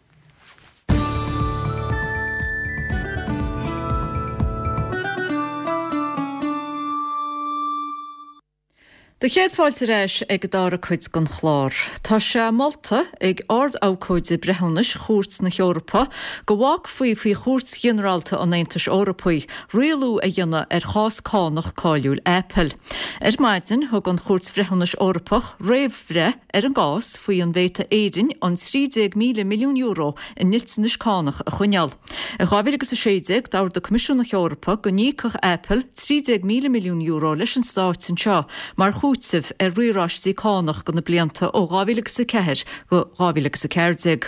Do chéad fáilte ar ais ag an dara cuid den chlár. Tá sé molta ag Ard-Abhcóide Breithiúnais Chúirt na hEorpa go bhfágfaí faoi Chúirt Ghinearálta an Aontais Eorpaigh rialú a dhéanamh ar chás cánach cáiliúil Apple. Ar maidin, thug an Chúirt Bhreithiúnais Eorpach réamhbhreith ar an gcás faoi an bhféadfadh Éirinn an trí déag míle milliún euro i ndliteanais cánach a choinneáil. I dhá mhíle agus a sé déag, d'ordaigh Coimisiún na hEorpa go n-íocfadh Apple trí déag míle milliún euro leis an Stát anseo mar chúiteamh ar riaráistí cánach do na blianta ó dhá mhíle agus a ceathair go dhá mhíle agus a ceathair déag.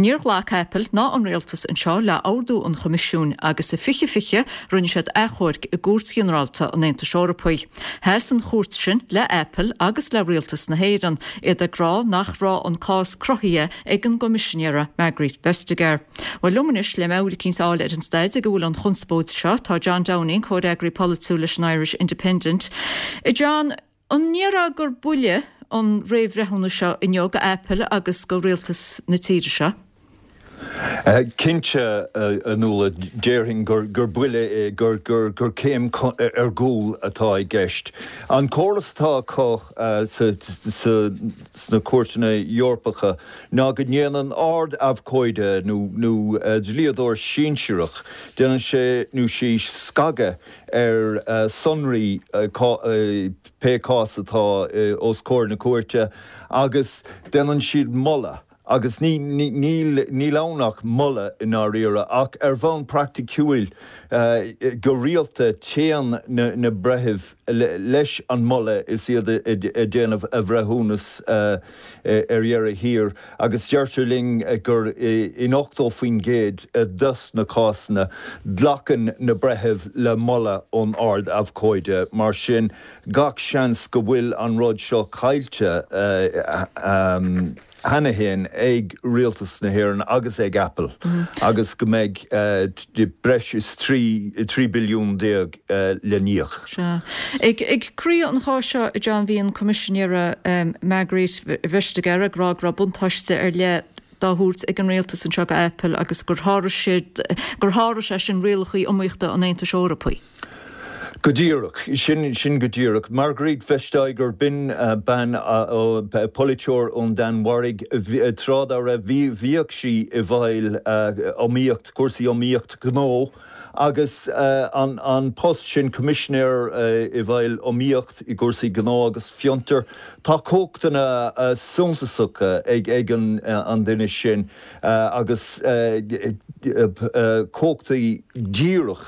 Níor ghlac Apple ná an rialtas anseo le ordú an Choimisiúin agus i fiche fiche rinne siad achomharc i gCúirt Ghinearálta an Aontais Eorpaigh. Sheas an chúirt sin le Apple agus le rialtas na hÉireann, iad ag rá nach raibh an cás cruthaithe ag an gCoimisinéara Margrethe Vestager. Bhuel, liom anois le meabhair eicínt a fháil ar an staid ag a bhfuil an chonspóid seo, tá John Downing, comhfhreagraí polaitiúil leis an Irish Independent. A John, an ndéarfá gur buille an réamhbhreithiúnas seo inniu go Apple agus go rialtas na tíre seo? Cinnte, a Nuala, déarfainn gur buille é, gur céim ar gcúl atá i gceist. An córas atá acu sna cúirteanna Eorpacha ná go ndéanann ard-abhcóide nó dlíodóir sinsearach, déanann sé nó sí scagadh ar sonraí pé cás atá os comhair na cúirte agus déanann siad moladh agus ní níl ann ach moladh i ndáiríre ach ar bhonn praiticiúil go rialta téann na breithimh leis an moladh is iad ag déanamh a bhreithiúnas ar dheireadh thiar agus deirtear linn gur in ochtó faoin gcéad dos na cásanna glacann na breithimh le moladh ón Ard-Abhcóide. Mar sin gach seans go bhfuil an rud seo caillte cheana féin ag Rialtas na hÉireann agus ag Apple agus go mbeidh breis is trí trí billiún déag le n-íoc. Sea. Ag croí an cháis seo, a John, bhí an Coimisinéara Margrethe Vestager ag rá go raibh buntáiste ar leith dá thabhairt ag an rialtas anseo go Apple agus gur sháraigh siad, gur sháraigh sé sin rialacha iomaíochta an Aontais Eorpaigh. Go díreach, sin, sin go díreach. Margrethe Vestager, b'in bean, polaiteoir ón Danmhairg, tráth dá raibh, bhí, bhíodh sí i bhfeighil iomaíocht, cúrsaí iomaíocht gnó agus an, an post sin, Coimisinéir i bhfeighil iomaíocht i gcúrsaí gnó agus fiontar, tá cumhachtanna suntasacha ag, ag an, an duine sin agus cumhachtaí díreach.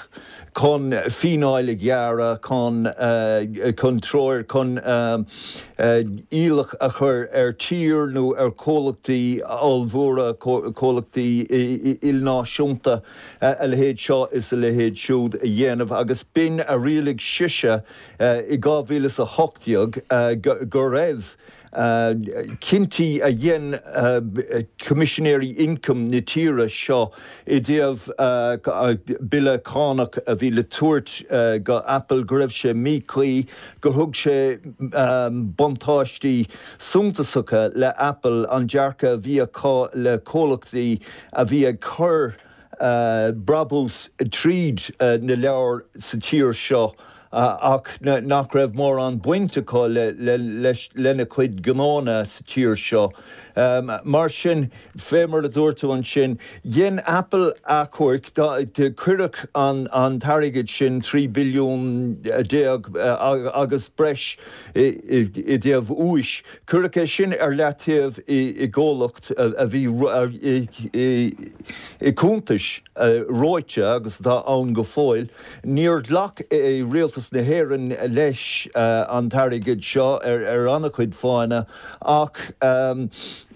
chun fíneáil a ghearradh, chun chun treoir, chun iallach a chur ar tír nó ar chomhlachtaí ollmhóra, comhlachtaí ilnáisiúnta a leithéid seo is a leithéid siúd a dhéanamh agus b'in a rialaigh sise i dhá mhíle is a hocht déag go raibh cinntí a dhein Coimisinéirí Ioncaim na tíre seo i dtaobh bille cánach a bhí le tabhairt go Apple go raibh sé míchuí, gur thug sé buntáistí suntasacha le Apple, an dearcadh a bhí acu le comhlachtaí a bhí ag cur brabús tríd na leabhair sa tír seo. ach nach raibh mórán baint acu lena cuid gnónna sa tír seo, Mar sin, fé mar a dúirt tú ansin, dhein Apple achomharc, cuireadh an t-airgead sin, trí billiún déag agus breis i dtaobh úis, cuireadh é sin ar leataobh i gcomhlacht a bhí i cuntais reoite agus atá ann go fóill. Níor ghlac Rialtas na hÉireann leis an t-airgead seo ar an-chuid fáthanna ach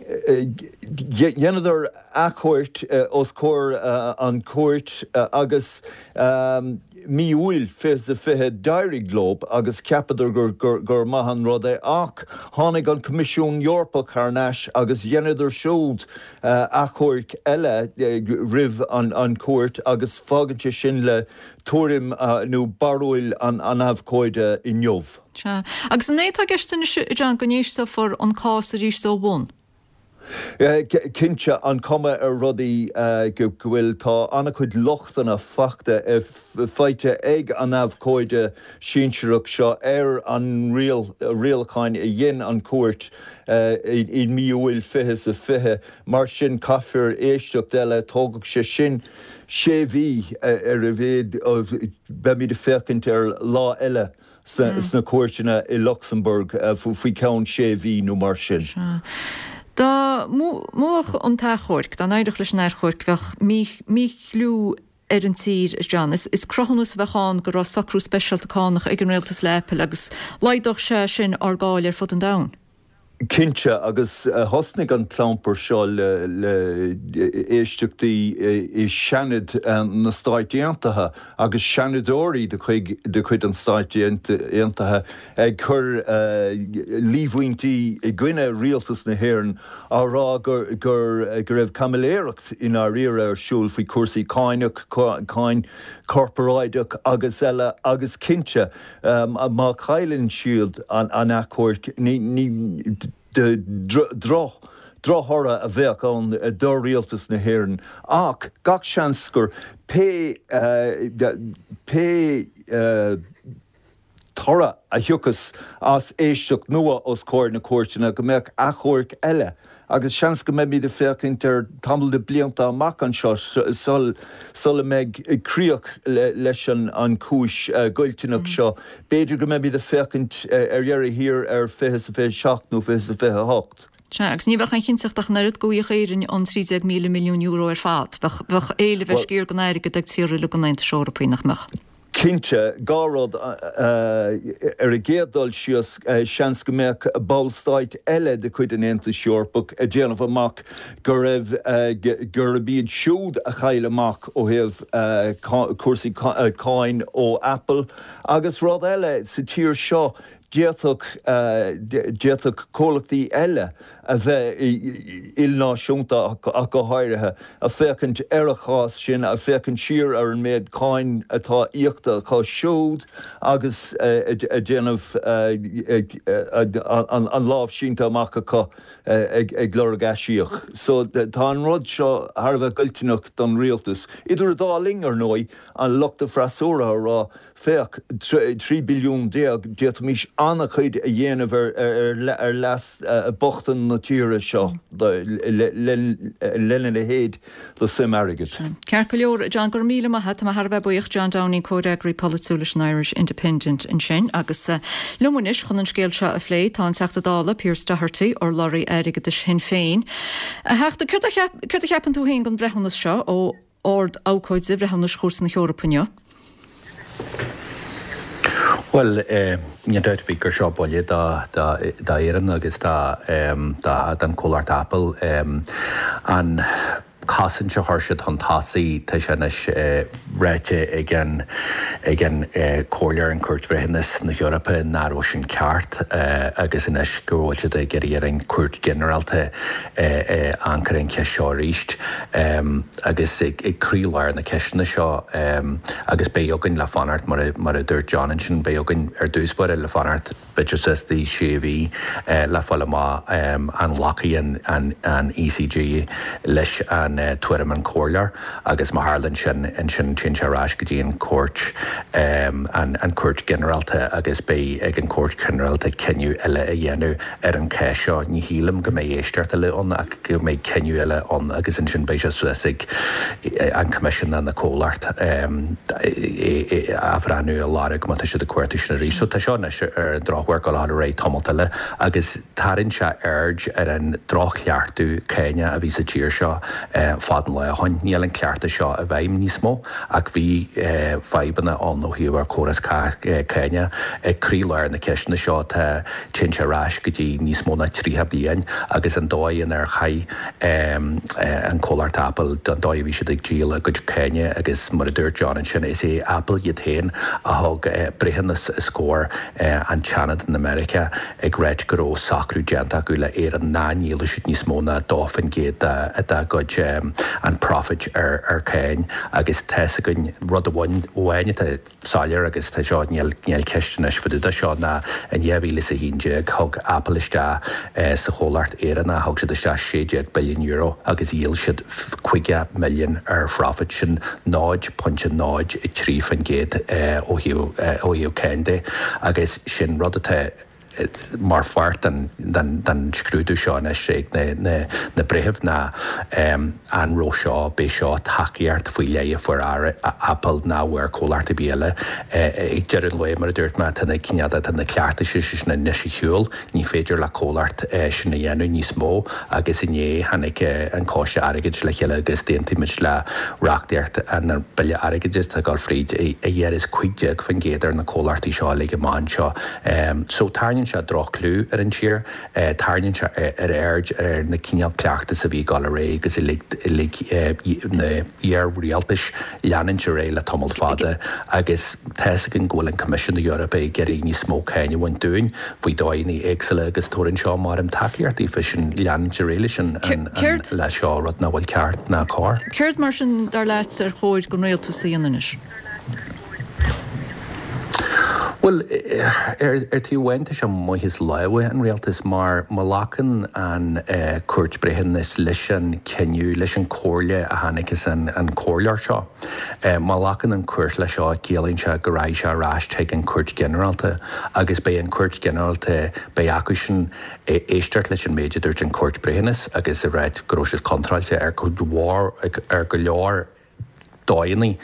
dheineadar achomharc os comhair an chúirt agus mí Iúil fiche is a fiche d'éirigh leo agus cheapadar gur maith an rud é ach tháinig an Coimisiún Eorpach thar n-ais agus dheineadar siúd achomharc eile roimh an chúirt agus fágann sé sin le tuairim nó barúil an abhcóide inniu. Sea. Agus an é atá i gceist anois, a John, go n-éisteofar an cás arís ó bhun? Cinnte, an cuma ar rudaí go bhfuil, tá an-chuid lochtanna fachta, faighte ag an abhcóide sinsearach seo ar an rialacháin a dhein an chúirt i mí Iúil fiche is a fiche. Mar sin, caithfear éisteacht eile, tógfaidh sé sin sé mhí ar a mhéad, beimid ag féachaint ar lá eile sna cúirteanna i Lucsamburg faoi cheann sé mhí nó mar sin. Sea. Dá mbuafadh an t-achomharc, dá n-éireodh leis an achomharc, bheadh míchlú ar an tír, a John. Is cruthúnas a bheadh ann go raibh socrú speisialta cánach ag an rialtas le Apple agus laghdódh sé sin ár gcáil ar fud an domhain. Cinnte, agus thosnaigh an clampar seo le éisteachtaí i Seanad na Stáit Aontaithe agus seanadóirí de chuid an Stáit Aontaithe ag cur líomhaintí i gcoinne rialtas na hÉireann á rá go raibh caimiléireacht i ndáiríre ar siúl faoi chúrsaí cáineach, cáin chorparáideach agus eile agus cinnte má chailleann siad an achomharc ní drochthoradh a bheadh ann do rialtas na hÉireann ach gach seans gur pé pé toradh a thiocfas as éisteacht nua os comhair na cúirteanna go mbeadh achomharc eile agus seans go mbeimid ag féachaint ar tamall de blianta amach anseo sula mbeidh críoch leis an chúis ghoilteanach seo. B'fhéidir go mbeimid ag féachaint ar dheireadh thiar ar fiche is a fiche seacht nó fiche is a fiche hocht. Sea, agus ní bheadh aon chinnteacht ach an oiread go bhfaigheadh Éirinn an trí déag míle milliún euro ar fad. Bheadh éileamh ar sciar den airgead ag tíortha uilig an Aontais Eorpaigh, nach mbeadh? Cinnte, dhá rud. Ar an gcéad dul síos, seans go mbeadh ballstáit eile de chuid an Aontais Eorpaigh ag déanamh amach go raibh, gurb iad siúd a chaill amach ó thaobh cúrsaí cáin ó Apple. Agus rud eile, sa tír seo, D'fhéadfadh, d'fhéadfadh comhlachtaí eile a bheith ilnáisiúnta ach go háirithe, ag féachaint ar an chás sin, ag féachaint siar ar an méid cáin atá íoctha acu siúd agus ag déanamh an lámh sínte amach acu ag lorg aisíoc. So tá an rud seo thar a bheith goilteanach don rialtas. Idir an dá linn, ar ndóigh, an lucht an freasúra ag rá, Féach, trí billiún déag, d'fhéadfaimis an-chuid a dhéanamh ar leas bochta na tíre seo lena leithéid de suim airgid. Ceart go leor, John, go raibh míle maith agat. Tá mé thar a bheith buíoch. John Downing, comhfhreagraí polaitiúil leis an Irish Independent ansin. Agus liom anois chun an scéal seo a phlé tá an Teachta Dála, Pearse Doherty, urlabhraí airgeadais Shinn Féin. A Theachta, céard a cheapann tú féin den bhreithiúnas seo ó Ard-Abhcóide Bhreithiúnais Chúirt na hEorpa inniu? Bhuel, níl dabht ar bith gur seo buille d'Éirinn agus don chomhlacht Apple. An chosaint a chuir siad chun tosaigh, tá sé anois ráite ag an ag an Comhairle, an Chúirt Bhreithiúnas na hEorpa nach raibh sin ceart agus anois go bhfuil siad ag iarraidh ar an Chúirt Ghinearálta amharc ar an cheist seo arís agus ag croílár na ceisteanna seo agus beidh againn le fanacht, mar a dúirt John ansin, beidh againn ar dtús báire le fanacht b'fhéidir suas dtí sé mhí le fáil amach an nglacfaidh an ECJ leis an tuairim an comhairleoir agus má tharlaíonn sin ansin téann sé ar ais go dtí an Cúirt an Cúirt Ghinearálta agus beidh ag an Cúirt Ghinearálta cinneadh eile a dhéanamh ar an cás seo. Ní shílim go mbeidh éisteacht eile ann ach go mbeidh cinneadh eile ann agus ansin beidh sé suas ag an Coimisiún nó na comhlacht athbhreithniú a lorg má tá siad ag cuartú sin arís. So tá seo anois ar an drochuair ag dul ar aghaidh tamalt eile agus tarraingíonn sé aird ar an droch-chleachtadh cáine a bhí sa tír seo fad an lá ó shin. Níl an cleachtadh seo i bhfeidhm níos mó ach bhí fadhbanna ann ó thaobh ár córas cáine. Ag croílár na ceisteanna seo tá téann sé ar ais go dtí níos mó ná tríocha bliain agus an dóigh inar chaith an comhlacht Apple don dóigh a bhí siad ag díol a gcuid cáine agus mar a dúirt John ansin is é Apple iad féin a thug breithiúnas os comhair an tSeanad in Meiriceá ag ráit go raibh socrú déanta acu le Éirinn nach ndíolfadh siad níos mó ná dó faoin gcéad dá gcuid an profit ar ar cáin agus tá's againn rud amháin atá soiléir agus tá seo níl níl ceist anois fá dtaobh de seo ná in dhá mhíle is a haon déag thug Apple isteach sa chomhlacht Éireannach thug siad isteach sé déag billiún euro agus dhíol siad caoga milliún ar phrofit sin náid pointe náid a trí faoin gcéad ó thaobh ó thaobh cáin de agus sin rud atá mar pháirt den scrúdú seo anois ag na breithimh ná an raibh seo, b'é seo tacaíocht faoi leith a fuair Apple nach bhfuair comhlacht ar bith eile. Ag deireadh an lae, mar a dúirt mé, tá na cineál, tá na cleachtais sin anois ar shiúl, ní féidir le comhlacht sin a dhéanamh níos mó agus inné tháinig an Coiste Airgeadais le chéile agus d'aontaigh muid le reachtaíocht an Bille Airgeadais atá ag dul fríd a ghearras cúig déag faoin gcéad ar na comhlachtaí seo uilig amach anseo. So tarraingíonn sé droch-chlú ar an tír, tarraingíonn sé ar aird ar na cineál cleachtas a bhí ag dul ar aghaidh agus a lig lig na iar-rialtais leanúint ar aghaidh le tamall fada agus tá's againn go bhfuil an Coimisiún na hEorpa ag iarraidh níos mó cáin a bhaint dúinn faoi dóigheanna éagsúla agus tabharann seo mar an tacaíocht daofa sin leanúint ar aghaidh leis an le seo rud nach bhfuil ceart ná cóir. Céard mar sin dar leat ar chóir don rialtas a dhéanamh anois? Bhuel, ar taobh amháin tá sé amuigh as lámha an rialtais mar má ghlacann an Chúirt Breithiúnais leis an cinneadh, leis an comhairle a tháinig as an comhairleoir seo, má ghlacann an Chúirt leis seo ciallaíonn sé go raghaidh sé ar ais chuig an Chúirt Ghinearálta agus beidh an Chúirt Ghinearálta, beidh acu sin éisteacht leis an méid a dúirt an Chúirt Breithiúnais agus a ráit go raibh siad contráilte ar cuid mhór, ar go leor dóigheanna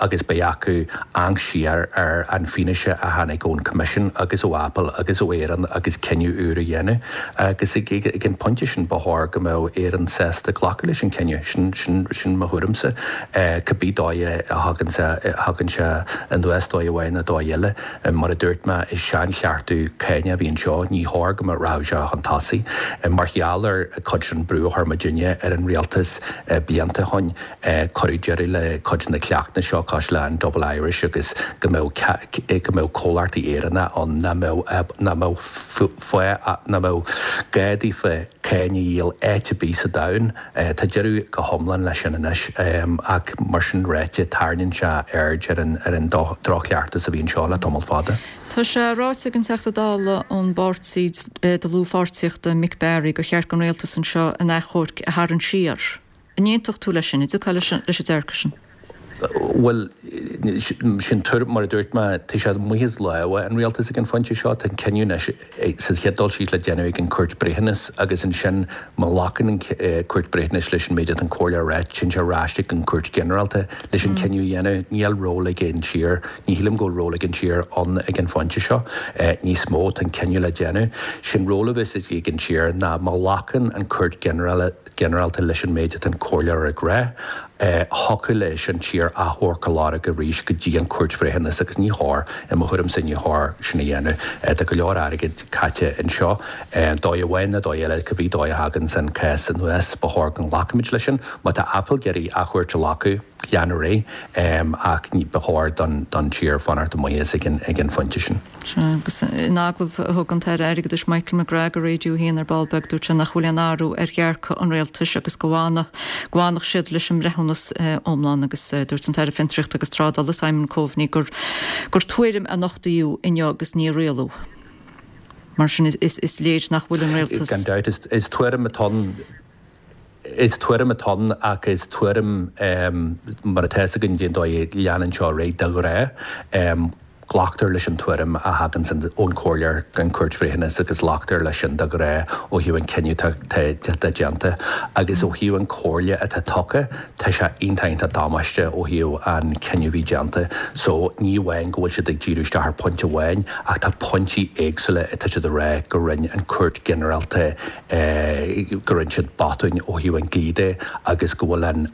agus beidh acu amharc siar ar an fianaise a tháinig ón Coimisiún agus ó Apple agus ó Éirinn agus cinneadh úr a dhéanamh agus ag an pointe sin ba chóir go mbeadh Éirinn sásta glacadh leis an cinneadh. Sin sin sin mo thuairimse. Cibé dóigh a thagann sé thagann sé anuas dóigh amháin nó dóigh eile. Mar a dúirt mé is seanchleachtadh cáine a bhí anseo, ní chóir go mbeadh rachadh sé chun tosaigh. Mar gheall ar cuid den brú a chuir muidinne ar an rialtas blianta ó shin, Cuireadh deireadh le cuid de na cleachtais seo cosúil le an Double Irish agus go mbeadh go mbeadh comhlachtaí Éireannacha ann nach mbeadh nach mbeadh fáth nach mbeadh gá daofa cáin a dhíol áit ar bith sa domhan. Tá deireadh go hiomlán leis sin anois ach mar sin ráite tarraingíonn sé aird ar an ar an droch-chleachtas a bhí anseo le tamall fada. Tá sé ráite ag an Teachta Dála ón bPáirtí Dlúthpháirtíochta Mick Barry gur cheart don rialtas anseo an achomharc a tharraingt siar. An aontódh tú leis sin? An dtiocfá leis an dearcadh sin? Bhuel, sin tuairim, mar a dúirt mé, tá sé amuigh as lámha an rialtais ag an phointe seo. Tá an cinneadh anois sa chéad dul síos le déanamh ag an Chúirt Breithiúnais agus ansin má ghlacann an Chúirt Breithiúnais leis an méid atá an Chomhairle a ráit, téann sé ar ais ag an Chúirt Ghinearálta leis an cinneadh a dhéanamh. Níl ról ag an tír, ní shílim go bhfuil ról ag an tír ann ag an phointe seo níos mó. Tá an cinneadh le déanamh. Sé'n ról a bheas ag an tír ná má ghlacann an Chúirt Ghinearálta leis an méid atá an comhairleoir ag rá, thiocfadh leis an tír achomharc a lorg arís go dtí an Chúirt Bhreithiúnais agus ní chóir, i mo thuairimse, ní chóir sin a dhéanamh. Tá go leor airgid caite anseo. Dóigh amháin nó dóigh eile, cibé dóigh a thaganns an cás anuas, ba chóir go nglacfaimid leis sin. Má tá Apple ag iarraidh achomharc a ghlacadh, lean ar aghaidh, ach ba chóir don tír fanacht amuigh as ag an phointe sin. Sea, agus in agallamh a thug an tAire Airgeadais Michael McGrath do Radio a haon ar ball beag, dúirt sé nach bhfuil aon athrú ar dhearcadh an rialtais agus go bhfanfadh siad leis an mbreithiúnas iomlán agus dúirt an tAire Fiontraíochta agus Trádála Simon Coveney gur gur tuairim a nochtaíodh inniu agus ní rialú. Mar sin is léir nach bhfuil an rialtas. Gan dabht, is tuairim atá ann. Is tuairim atá ann ach is tuairim mar atá fhios againn cén dóigh a leanann seo ar aghaidh de ghnáth. Glactar leis an tuairim a thagann ón Chomhairle den Chúirt Bhreithiúnais agus glactar leis sin de ghnáth ó thaobh an cinneadh atá déanta agus ó thaobh an comhairle atá tugtha tá sé iontach iontach damáiste ó thaobh an cinneadh a bhí déanta. So ní amháin go bhfuil siad ag díriú isteach ar phointe amháin ach tá pointí éagsúla atá siad ag rá go rinne an Chúirt Ghinearálta go rinne siad botúin ó thaobh an dlí de agus go bhfuil an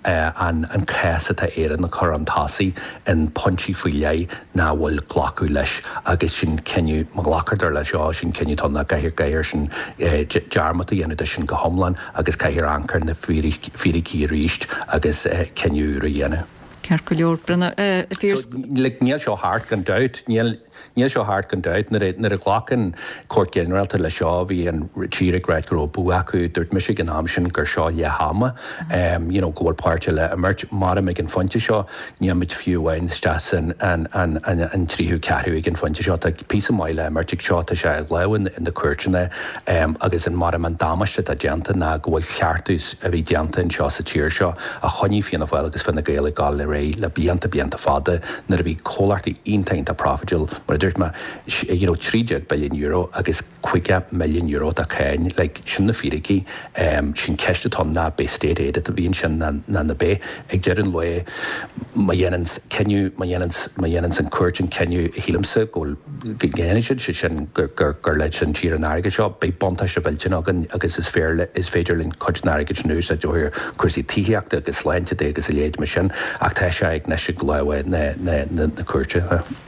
an an cás atá Éirinn a chur chun tosaigh in pointí faoi leith nach bhfuil glacadh leis agus sin cinneadh, má ghlactar leis seo, sin cinneadh atá ann caithfear caithfear sin dearmad a dhéanamh de sin go hiomlán agus caithfear amharc ar na fíricí arís agus cinneadh úr a dhéanamh. Ceart go leor, a Phiarais. Níl seo thart gan dabht. Níl Níl seo thart gan dabht. Nuair a ghlac an Chúirt Ghinearálta leis seo, bhí an tír ag ráit go raibh bua acu. Dúirt mise ag an am sin gur seo leath ama, you know, go bhfuil páirt eile le imirt. Maram ag an phointe seo, níl muid fiú amháin isteach san an tríú ceathrú ag an phointe seo. Tá píosa maith le imirt ag seo, tá sé i lámha na cúirteanna agus an maram an damáiste atá déanta ná go bhfuil ceartú a bhí déanta anseo sa tír seo a choinnigh Fianna Fáil agus Fine Gael ag gabháil ar aghaidh le blianta blianta fada nuair a bhí comhlachtaí iontach iontach profitiúil mar a dúirt mé, you know, trí déag billiún euro agus caoga milliún euro de cháin, like, sin na fíricí, sin ceist atá ann ná b'é state aid a bhí ansin ná ná b'é. Ag deireadh an lae, má dhéanann cinneadh, má dhéanann, má dhéanann an cúirt an cinneadh a shílimse go bhfuil, go ndéanfaidh siad, sé sin gur, gur, gur leis an tír an airgead seo, beidh buntáiste mhillteanach againn agus is féar, is féidir linn cuid den airgead sin a úsáid ó thaobh cúrsaí tithíochta agus sláinte de agus a leithéid mar sin ach tá sé ag anois i lámha na, na, na, na cúirte.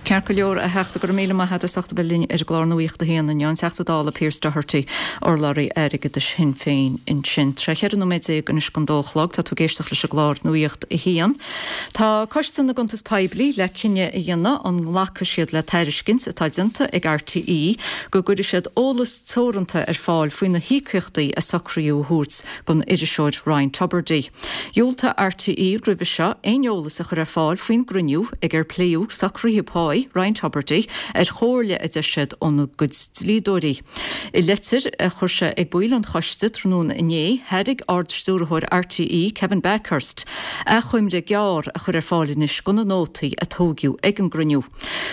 Ceart go leor, a Theachta, go raibh míle maith agat as ucht a bheith linn ar an gclár Nuacht a hAon inniu, an Teachta Dála Pearse Doherty, urlabhraí airgeadais Shinn Féin ansin. Tré cheithre nóiméad déag anois don dó a chlog, tá tú ag éisteacht leis an gclár Nuacht a hAon. Tá Coiste na gCuntas Poiblí le cinneadh a dhéanamh an nglacfaidh siad le tairiscint atá déanta ag RTÉ go gcuirfidh siad eolas teoranta ar fáil faoi na híocaíochtaí a socraíodh a thabhairt don iriseoir Ryan Tubridy. Dhiúltaigh RTÉ roimhe seo aon eolas a chur ar fáil faoin gcruinniú ag ar pléadh socruithe páí Ryan Tubridy ar chomhairle a deir siad óna gcuid dlíodóirí. I leitir a chuir sé ag baill an choiste tráthnóna inné, thairg Ard-Stiúrthóir RTÉ, Kevin Bakhurst, achoimre gearr a chur ar fáil anois de na nótaí a tógadh ag an gcruinniú.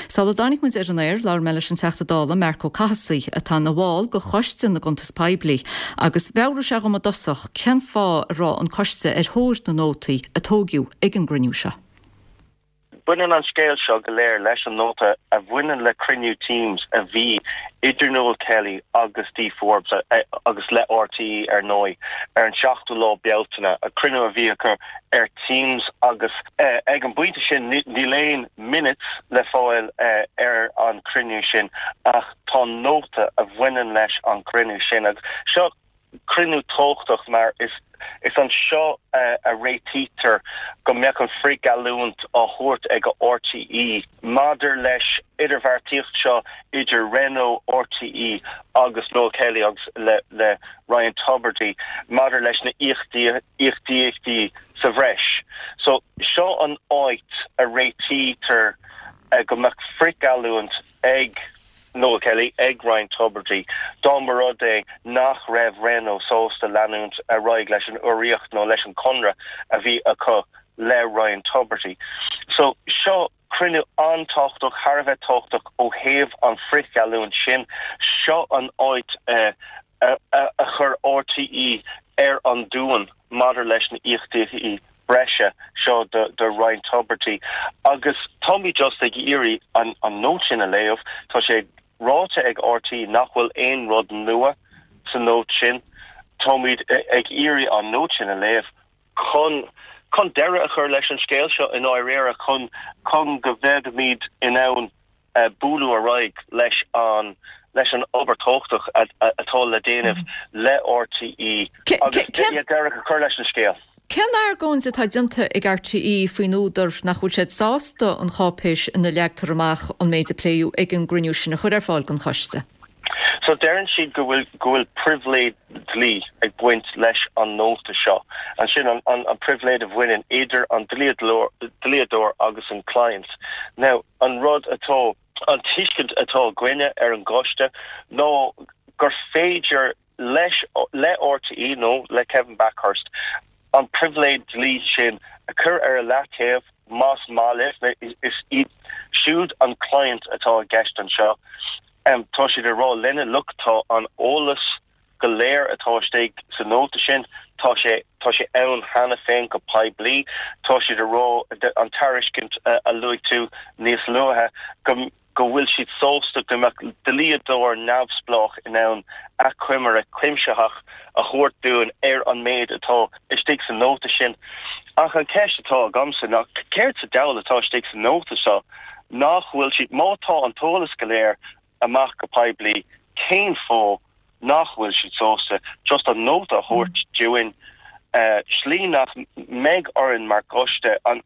Sula dtáinig muid ar an aer, labhair mé leis an Teachta Dála Marc Ó Cathasaigh, atá ina bhall de Choiste na gCuntas Poiblí, agus mheabhraigh sé dhom i dtosach cén fáth a raibh an coiste ar thóir na nótaí a tógadh ag an gcruinniú seo. Baineann an scéal seo go léir leis an nóta a bhaineann le cruinniú Teams a bhí idir Noel Kelly agus Dee Forbes, agus le RTÉ ar ndóigh, ar an seachtú lá Bealtaine, cruinniú a bhí acu ar Teams agus ag an bpointe sin níl aon minutes le fáil ar an cruinniú sin ach tá nóta a bhaineann leis an gcruinniú sin agus seo cruinniú tábhachtach mar is is anseo a réitítear go mbeadh an frithgheallúint á thabhairt ag RTÉ maidir leis idirbheartaíocht seo idir Renault, RTÉ agus Noel Kelly agus le le Ryan Tubridy maidir leis na íocaíochtaí sa bhreis. So seo an áit a réitítear go mbeadh frithgheallúint ag Noel Kelly, ag Ryan Tubridy, dá mba rud é nach raibh Renault sásta leanúint ar aghaidh leis an urraíocht nó leis an conradh a bhí acu le Ryan Tubridy. So, seo cruinniú an-tábhachtach, thar a bheith tábhachtach ó thaobh an frithgheallúint sin. Seo an áit a a chuir RTÉ ar an duan maidir leis na íocaíochtaí breise seo do Ryan Tubridy agus táimid just ag iarraidh an an nóta sin a léamh. Tá sé ráite ag RTÉ nach bhfuil aon rud nua sa nóta sin. Táimid ag iarraidh an nóta sin a léamh chun chun deireadh a chur leis an scéal seo i ndáiríre, chun chun go mbeimid in ann bualadh ar aghaidh leis an leis an obair tábhachtach atá le déanamh le RTÉ agus deireadh a chur leis an scéal. Cén argóint atá déanta ag RTÉ faoin údar nach bhfuil siad sásta an cháipéis ina leagtar amach an méid a pléadh ag an gcruinniú sin a chur ar fáil don choiste? So deireann siad go bhfuil go bhfuil pribhléid dlí ag baint leis an nóta seo. Ansin an an an pribhléid a bhaineann idir an dlíodóir agus an client. Now an rud atá an tuiscint atá againne ar an gcoiste ná gur féidir leis le RTÉ nó le Kevin Bakhurst an pribhléid dlí sin a chur ar a leataobh más maith libh, is iad siúd an client atá i gceist anseo. Tá siad ag rá linne, look, tá an eolas go léir atá istigh sa nóta sin, tá sé tá sé ann cheana féin go poiblí. Tá siad ag rá, an tairiscint a luaigh tú níos luaithe, go go bhfuil siad sásta go mbeadh dlíodóir neamhspleách in ann achoimre cuimsitheach a thabhairt dúinn ar an méid atá istigh sa nóta sin. Ach an cheist atá agamsa ná céard sa diabhal atá istigh sa nóta seo nach bhfuil siad, má tá an t-eolas go léir amach go poiblí, cén fáth nach bhfuil siad sásta just an nóta a thabhairt dúinn, slí nach mbeidh orainn mar choiste an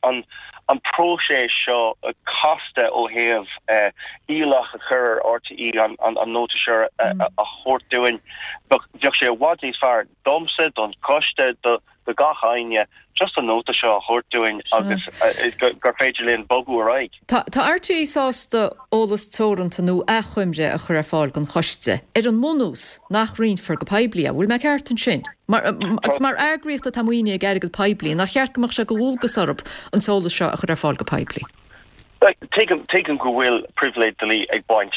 an próiseas seo casta ó thaobh iallach a chur ar RTÉ an nóta seo a thabhairt dúinn. Bheadh sé i bhfad níos fearr domsa, don choiste, do gach éinne just an nóta seo a thabhairt dúinn agus gur féidir linn bogadh ar aghaidh. Tá RTÉ sásta eolas teoranta nó achoimre a chur ar fáil don choiste, ar an mbunús nach roinnfear go poiblí é. Bhfuil mé ceart ansin? Mar, agus mar eagraíocht atá maoinithe ag airgead poiblí, nach cheart go mbeadh sé de dhualgas orthu an t-eolas seo a chur ar fáil go poiblí? Tuigim, tuigim go bhfuil pribhléid dlí ag baint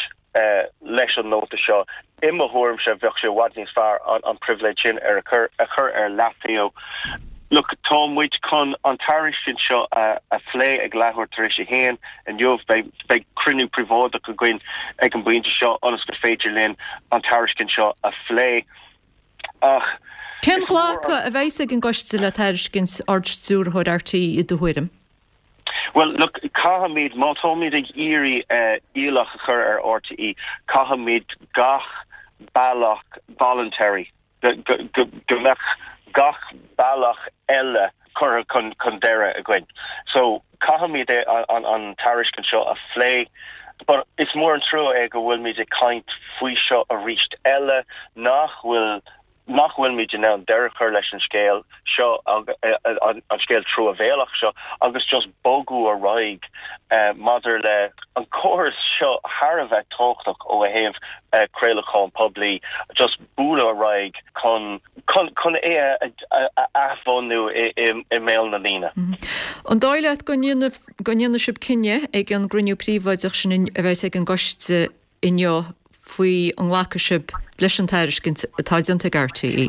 leis an nóta seo. I mo thuairimse, bheadh sé i bhfad níos fearr an pribhléid sin ar a chur a chur ar leataobh. Look, tá muid chun an tairiscint seo a a phlé ag leathuair tar éis a haon inniu. Beidh beidh cruinniú príobháideach againn ag an bpointe seo ionas gur féidir linn an tairiscint seo a phlé. Ach Cén glacadh a bheas ag an gcoiste le tairiscint Ard-Stiúrthóir RTÉ i do thuairim? Bhuel, look, caithfimid, má táimid ag iarraidh iallach a chur ar RTÉ, caithfimid gach bealach voluntary, go mbeadh gach bealach eile curtha chun deireadh againn. So, caithfimid an tairiscint seo a phlé. But is mór an trua é go bhfuilimid ag caint faoi seo arís eile, nach bhfuil nach bhfuilimid in ann deireadh a chur leis an scéal seo, an scéal truamhéalach seo, agus just bogadh ar aghaidh maidir le an córas seo thar a bheith tábhachtach ó thaobh craolachán poiblí, just bualadh ar aghaidh chun chun chun é a athbhunú i mbéal na ndaoine. An dóigh leat go go ndéanfaidh sibh cinneadh ag an gcruinniú príobháideach sin a bheas ag an gcoiste inniu faoi an nglacfaidh sibh leis an tairiscint atá déanta ag RTÉ?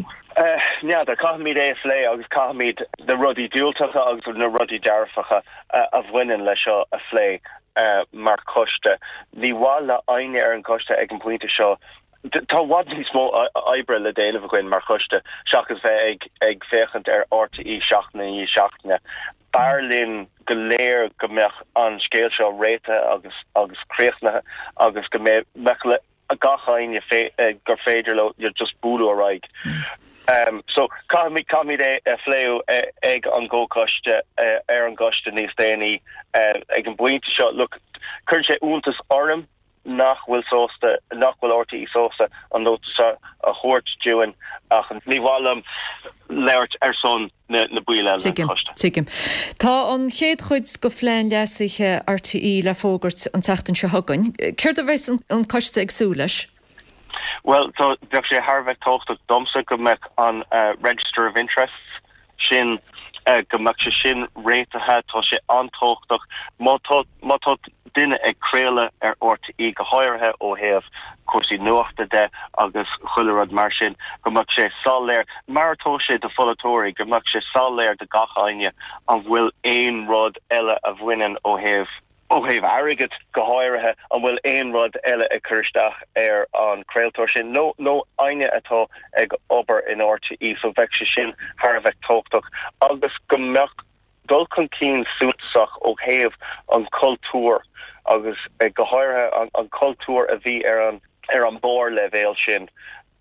N'fheadar, caithfimid é a phlé agus caithfimid na rudaí diúltacha agus na rudaí dearfacha a bhaineann leis seo a phlé mar choiste. Ní mhaith le éinne ar an gcoiste ag an bpointe seo, tá i bhfad níos mó oibre le déanamh againn mar choiste seachas bheith ag féachaint ar RTÉ seachtain i ndiaidh seachtaine. B'fhearr linn go léir go mbeadh an scéal seo réitithe agus agus críochnaithe agus go mbeadh le gach éinne gur féidir leo just bualadh ar aghaidh. So caithfimid caithfimid é a phlé ag an gcomhchoiste ar an gcoiste níos déanaí ag an bpointe seo. Look, cuireann sé iontas orm nach bhfuil sásta, nach bhfuil RTÉ sásta an nóta seo a thabhairt dúinn ach ní mhaith liom labhairt ar son na baill eile den Tuigim, choiste. tuigim. Tá an chéad chuid de phlean leasaithe RTÉ le fógairt an tseachtain seo chugainn. Céard a bheas an coiste ag súil leis? Bhuel, tá, bheadh sé thar a bheith tábhachtach domsa go mbeadh an Register of Interests sin, go mbeadh sé sin réitithe. Tá sé an-tábhachtach. Má tá, má tá duine ag craoladh ar RTÉ, go háirithe ó thaobh cúrsaí nuachta de agus chuile rud mar sin, go mbeadh sé soiléir, mar atá sé do pholaiteoirí, go mbeadh sé soiléir do gach éinne an bhfuil aon rud eile a bhaineann ó thaobh, ó thaobh airgid go háirithe, an bhfuil aon rud eile ag cur isteach ar an chraoltóir sin nó nó éinne atá ag obair in RTÉ. So bheadh sé sin thar a bheith tábhachtach agus go mbeadh dul chun cinn suntasach ó thaobh an chultúir agus go háirithe an cultúr a bhí ar an ar an barrleibhéal sin,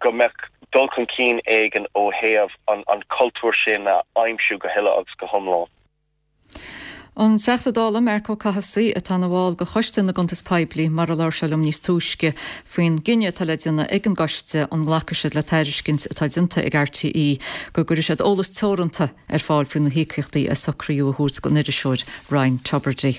go mbeadh dul chun cinn éigin ó thaobh an cultúr sin a aimsiú go huile agus go hiomlán. An Teachta Dála Marc Ó Cathasaigh atá ina bhall de Choiste na gCuntas Poiblí mar a labhair sé liom níos túisce faoin gcinneadh atá le déanamh ag an gcoiste an nglacfaidh siad le tairiscint atá déanta ag RTÉ go gcuirfidh siad eolas teoranta ar fáil faoi na híocaíochtaí a socraíodh a thabhairt don iriseoir Ryan Tubridy.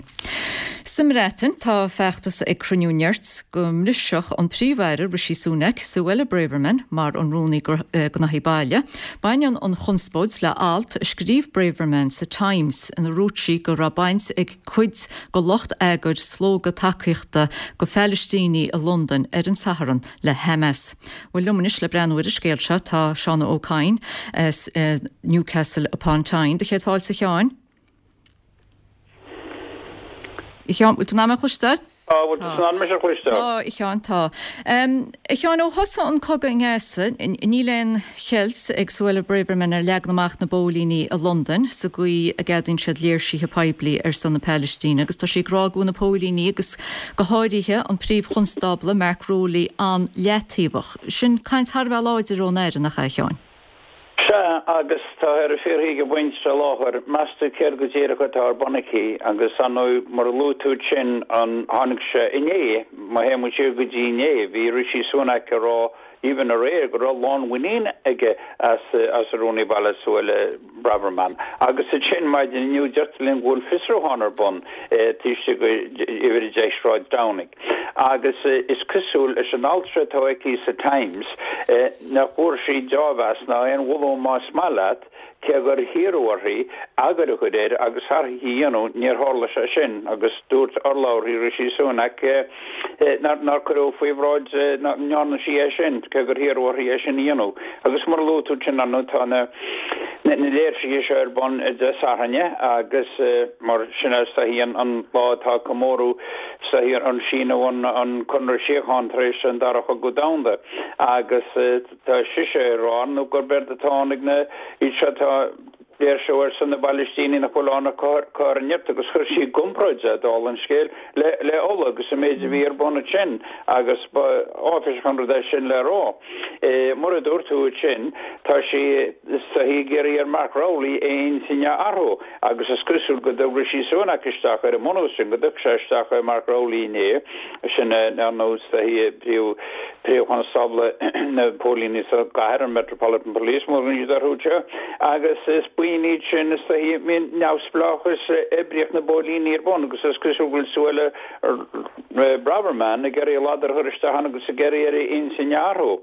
Sa mBreatain, tá feachtas ag cruinniú nirt go mbrisfeadh an Príomh-Aire Rishi Sunak Suella Braverman mar an Rúnaí Gnóthaí Baile. Baineann an chonspóid le alt a scríobh Braverman sa Times ina ndúirt sí go raibh baint ag cuid de lucht eagair slógadh tacaíochta do Phalaistínigh i Londain ar an Satharn le Hamas. Bhuel liom anois le breathnú ar an scéal seo tá Seán Ó Cadhain as Newcastle upon Tyne. Do chéad fáilte a Sheáin. A Sheáin, bhfuil tú in ann mé a chloisteáil? Tá, bhfuil tú in ann mise a chloisteáil? Tá, a Sheáin, tá. A Sheáin, ó thosaigh an cogadh i nGaza, níl aon cheilt ag Suella Braverman ar leagan amach na bpóilíní i Londain sa gcaoi a gceadaíonn siad léirsithe poiblí ar son na Palaistíne agus tá sí ag rá go bhfuil na póilíní agus go háirithe an príomh-chonstábla Mark Rowley an-leataobhach. Sin caint thar a bheith láidir ón Aire, nach ea, a Sheáin? Sea, agus tá ar a fiafraí ag an bpointe seo i láthair, meas tú céard go díreach atá ar bun aici, agus ar ndóigh, mar a luaigh tú ansin, an, tháinig sé inné, má théann muid siar go dtí inné, bhí Rishi Sunak ag rá, even aréir, go raibh lánmhuinín aige as, as an Rúnaí Baile Suella Braverman. Agus ansin, maidin inniu, deirtear linn go bhfuil fiosrúchán ar bun taobh istigh de uimhir a deich Sráid Downing. Agus is cosúil leis an alt seo atá aici sa Times nach bhfuair sí deá-mheas ná aon mholadh más maith leat, cé gur hiarradh uirthi agóid a chur air agus athruithe a dhéanamh, níor tharla sé sin agus dúirt urlabhraí Rishi Sunak nár cuireadh faoi bhráid nach ndearna sí é sin, cé gur hiarradh uirthi é sin a dhéanamh. Agus mar a luaigh tú ansin, ar ndóigh, tá na léirsithe seo ar bun Dé Sathairn agus mar sin is dóichí an lá atá comóradh is dóichí an síniú an Conradh Síochána tar éis an Dara Chogadh Domhanda agus tá sise ag rá nó gurb éard atá ann ag na iad seo atá léirsiú ar son na bPalaistínigh nach bhfuil ann ach cur nirt agus chuir sí i gcomparáid é, dála an scéil, le le Ulaidh agus an méid a bhí ar bun ansin agus ba áiféiseach an rud é sin le rá. Mar a dúirt tú ansin, tá sí is dóichí ag iarraidh ar Mark Rowley a intinn a athrú agus is cosúil go dtug Rishi Sunak isteach ar an mbunús sin, go dtug sé isteach Mark Rowley inné, sin ar ndóigh is dóichí príomh Príomh-Chonstábla na bPóilíní sa gcathair, an Metropolitan Police, mar a thugann siad orthu seo, agus is buíon iad sin is dóichí a mbíonn neamhspleáchas oibríocht na bpóilíní ar bun agus is cosúil go bhfuil Suella Braverman ag iarraidh a ladar a chur isteach ann agus ag iarraidh ar a intinn a athrú.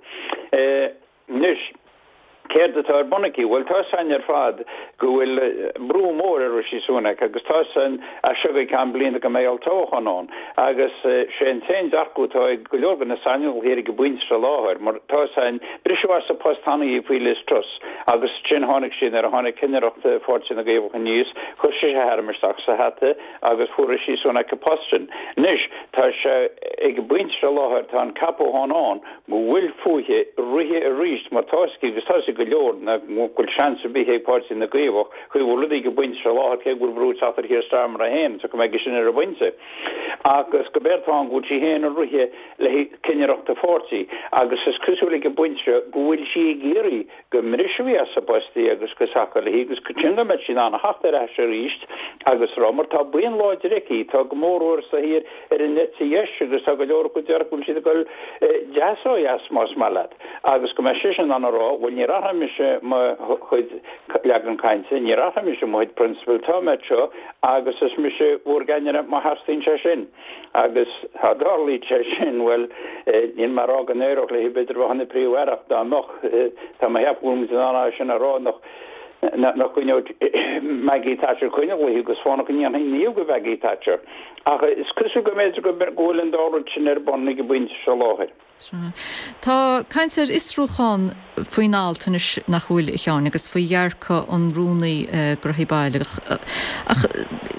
Anois. Céard atá ar bun aici? Bhuel, tá 'fhios a'inn ar fad go bhfuil brú mór ar Rishi Sunak agus tá 'fhios a'inn as seo go ceann bliana go mbeidh olltoghchán ann agus sé an t-aon dearcadh atá ag go leor de na saineolaithe ar an bpointe seo i láthair mar tá 'fhios a'inn, briseadh as a post cheana í faoi Liz Truss agus ansin tháinig sí nuair a tháinig cinnireacht Pháirtí na gCaomhach aníos, chuir sise a hainm isteach sa hata agus fuair Rishi Sunak an post sin. Anois tá sé ag an bpointe seo i láthair tá an ceapachán ann go bhfuil fúithi rith arís mar tá 'fhios aici agus tá 'fhios ag go leor nach bhfuil seans ar bith ag Páirtí na gCaomhach chaoi a bhfuil rudaí ag an bpointe seo i láthair cé go bhfuil brú ag teacht ar Keir Starmer é féin so go mbeidh sin ar an bpointe agus gurb éard atá ann go bhfuil sí féin ag rith le haghaidh cinnireacht a pháirtí agus is cosúil ag an bpointe seo go bhfuil sí ag iarraidh go mbrisfí as a post í agus go sacáil léi agus ansin go mbeidh sí in ann a theacht ar ais arís agus rá mar tá buíon láidir aici tá go mór mhór sa thír ar an eite dheis agus tá go leor acu a deir go bhfuil siad ag dul deas ó dheas más maith leat agus go mbeidh sise in ann a rá bhuel níor athraigh mise mo chuid leagan cainte, níor athraigh mise mo chuid prionsabal, tá mé anseo agus is mise bhur gceannaire má theastaíonn sé sin. Agus dá dtarlaíonn sé sin, bhuel, níl mé ag rá go n-éireodh léi b'fhéidir bheith ina Príomh-Aire ach dá mbeadh, tá mé ag ceapadh go bhfuil muid in ann é sin a rá nach nach gcoinneodh Maggie Thatcher coinne léi agus fánach go ndéanfaí naomh de Mhaggie Thatcher. Ach is cosúil go mb'fhéidir go bhfuil an dá rud sin ar bun ag an bpointe seo i láthair. Tá caint ar fhiosrúchán faoin alt anois nach bhfuil, a Sheáin, agus faoi dhearcadh an Rúnaí Gnóthaí Baile. Ach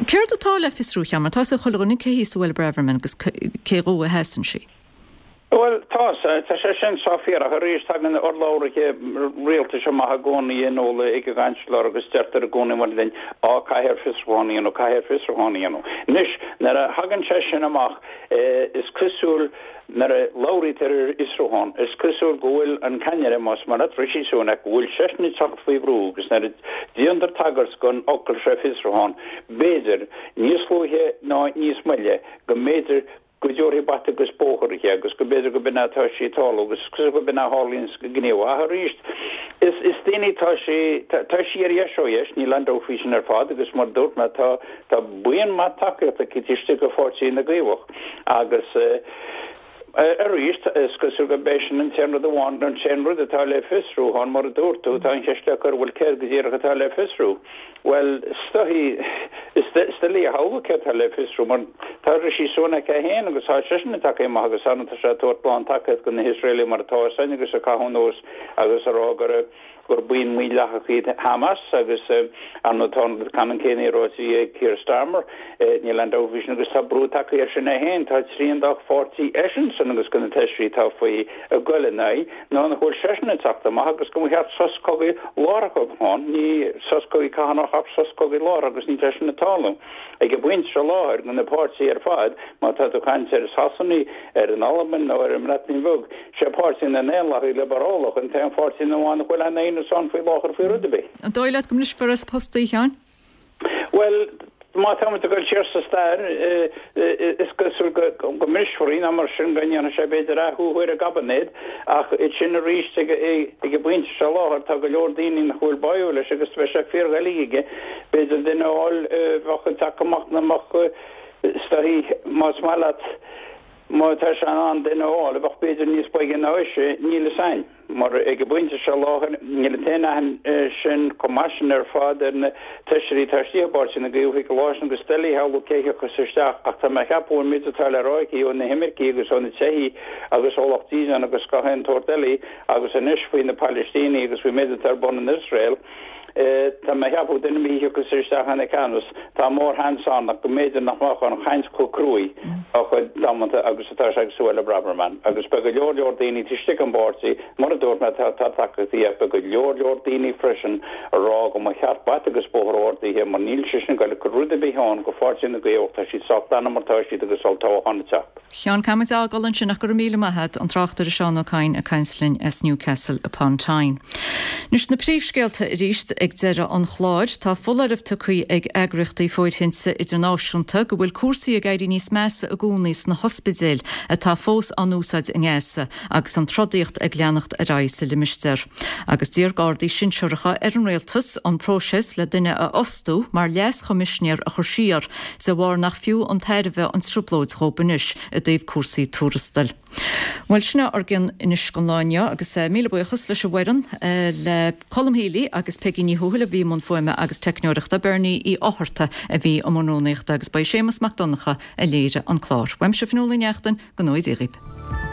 céard atá le fiosrú, a Sheáin, mar tá 'fhios ag chuile dhuine cé hí Suella Braverman agus cé dhó a sheasann sí. Bhuel, tá, tá sé sin sách fíor, ach arís tagann urlabhraithe rialtais amach i gcónaí a Nuala ag an gCainsléir agus deirtear i gcónaí mar linn, á, caithfear fiosrúchán a dhéanamh, caithfear fiosrúchán a dhéanamh. Anois, nuair a thagann sé sin amach, is cosúil, nuair a labhraítear ar fhiosrúchán, is cosúil go bhfuil an ceannaire, más maith leat, Rishi Sunak, go bhfuil seisean ag teacht faoi bhrú agus nuair a déantar tagairt don fhocal seo fiosrúchán, b'fhéidir, níos luaithe ná níos moille, go mb'fhéidir, go dtabharfaí bata agus bóthar di agus go mb'fhéidir go b'in é atá sé ag tarlú agus is cosúil go b'in é a tharlaíonn go gníomhach. Ach arís, is is daoine tá sé tá sí ar dheis ó dheis, níl aon dabht faoi sin ar fad agus mar a dúirt mé tá tá buíon maith tacaíochta aici istigh i bPáirtí na gCaomhach agus arís is cosúil go b'é sin an t-aon rud amháin an t-aon rud atá le fiosrú ann mar a dúirt tú tá an cheist le cur bhuel céard go díreach atá le fiosrú? Bhuel, is dóichí, is doiligh a shamhlú céard atá le fiosrú, mar tá Rishi Sunak é féin agus tá seisean ag tagtha amach agus tá sé ag tabhairt lán tacaíocht do na hIosraelaigh mar atá a fhios againn agus ag caitheamh anuas agus ag rá gur gur buíon mhídhleathach iad Hamas agus ar ndóigh tá an ceannann céanna ráite ag Keir Starmer, níl aon dabht faoi sin agus tá brú tagtha air sin é féin, tá trian dá pháirtí eisean san agus de na feisirí atá faoi ag goil ina aghaidh. Ná nach bhfuil seisean ag teacht amach agus go mba cheart sos cogaidh láithreach a bheith ann, ní sos cogaidh carthanach ach sos cogaidh láithreach agus níl sé sin ag tarlú. Ag an bpointe seo láthair, de na páirtithe ar fad, má tá tú ag caint ar Shasana, ar an Albain nó ar an mBreatain Bheag, sé Páirtí na nDaonlathaithe Liobrálach an t-aon pháirtí amháin nach bhfuil aon aontas ann faoi láthair faoi rud ar bith. An dóigh leat go mbrisfear as a post í, a Sheáin? Bhuel, má táimid ag dul siar sa stair, is cosúil go mbrisfear í, nó mar sin go ndéanfaidh sé b'fhéidir athrú ar an gcaibinéad, ach ansin arís ag an bpointe seo láthair tá go leor daoine nach bhfuil báúil leis agus bheadh sé fíordhoiligh aige b'fhéidir duine a fháil a bheadh ag teacht amach nach mbeadh is dóichí más maith leat má tá sé in ann duine a fháil a bheadh b'fhéidir níos boige ná ise, níl fhios a'inn. Mar ag an bpointe seo láthair, níl an t-aon aithne sin chomh maith sin ar fad ar na feisirí atá istigh i bPáirtí na gCaomhach an lá sin agus doiligh a shamhlú cé thiocfas isteach ach tá mé a cheapadh ón méid atá le rá aici ó na himircigh agus ó na teifigh agus ó lucht dídean agus gach aon tsórt eile agus anois faoi na Palaistínigh agus faoin méid atá ar bun in Iosrael. Tá mé a cheapadh duine ar bith a thiocfas isteach ina ceannas, tá mórsheans ann ach go mb'fhéidir nach mbeadh an chaint chomh cruaidh chomh damanta agus atá sé ag Suella Braverman. Agus beidh go leor leor daoine taobh istigh den bpáirtí, mar a dúirt mé, tá tacaíocht ach beidh go leor leor daoine freisin a rá go mba cheart bata agus bóthar a thabhairt dithe mar níl sise ag goil ag cur rud ar bith ann go Pháirtí na gCaomhach, tá siad sách dona mar atá siad agus olltoghchán ag teacht. Sheáin, caithfimid a fhágáil ansin ach go raibh míle maith a't, an tráchtaire Seán Ó Cadhain ag caint linn as Newcastle upon Tyne. Anois na príomhscéalta arís ag deireadh an chláir. Tá foláireamh tugtha ag eagraíochtaí fóirithinte idirnáisiúnta go bhfuil cúrsaí ag éirí níos measa i gcónaí sna hospidéil atá fós á n-úsáid i nGaza agus an trodaíocht ag leanacht ar aghaidh sa limistéar. Agus d'iarr gardaí sinsearacha ar an rialtas an próiseas le duine a fhostú mar leas-choimisinéir a chur siar de bharr nach fiú an tairbhe an trioblóid dhóibh anois i dtaobh cúrsaí tuarastail. Bhuel, sin é ár gcionn anois don lá inniu agus míle buíochas leis an bhfoireann, le Colm Healy agus Peigí Ní Thuathail a bhí i mbun fuaime agus teicneoireachta, Bernie Uí Fhátharta a bhí i mbun rúnaíochta agus ba é Séamus Mac Donncha a léirigh an clár. Uaimse Fionnuala Ní Neachtain, go ngnóthaí Dia dhaoibh.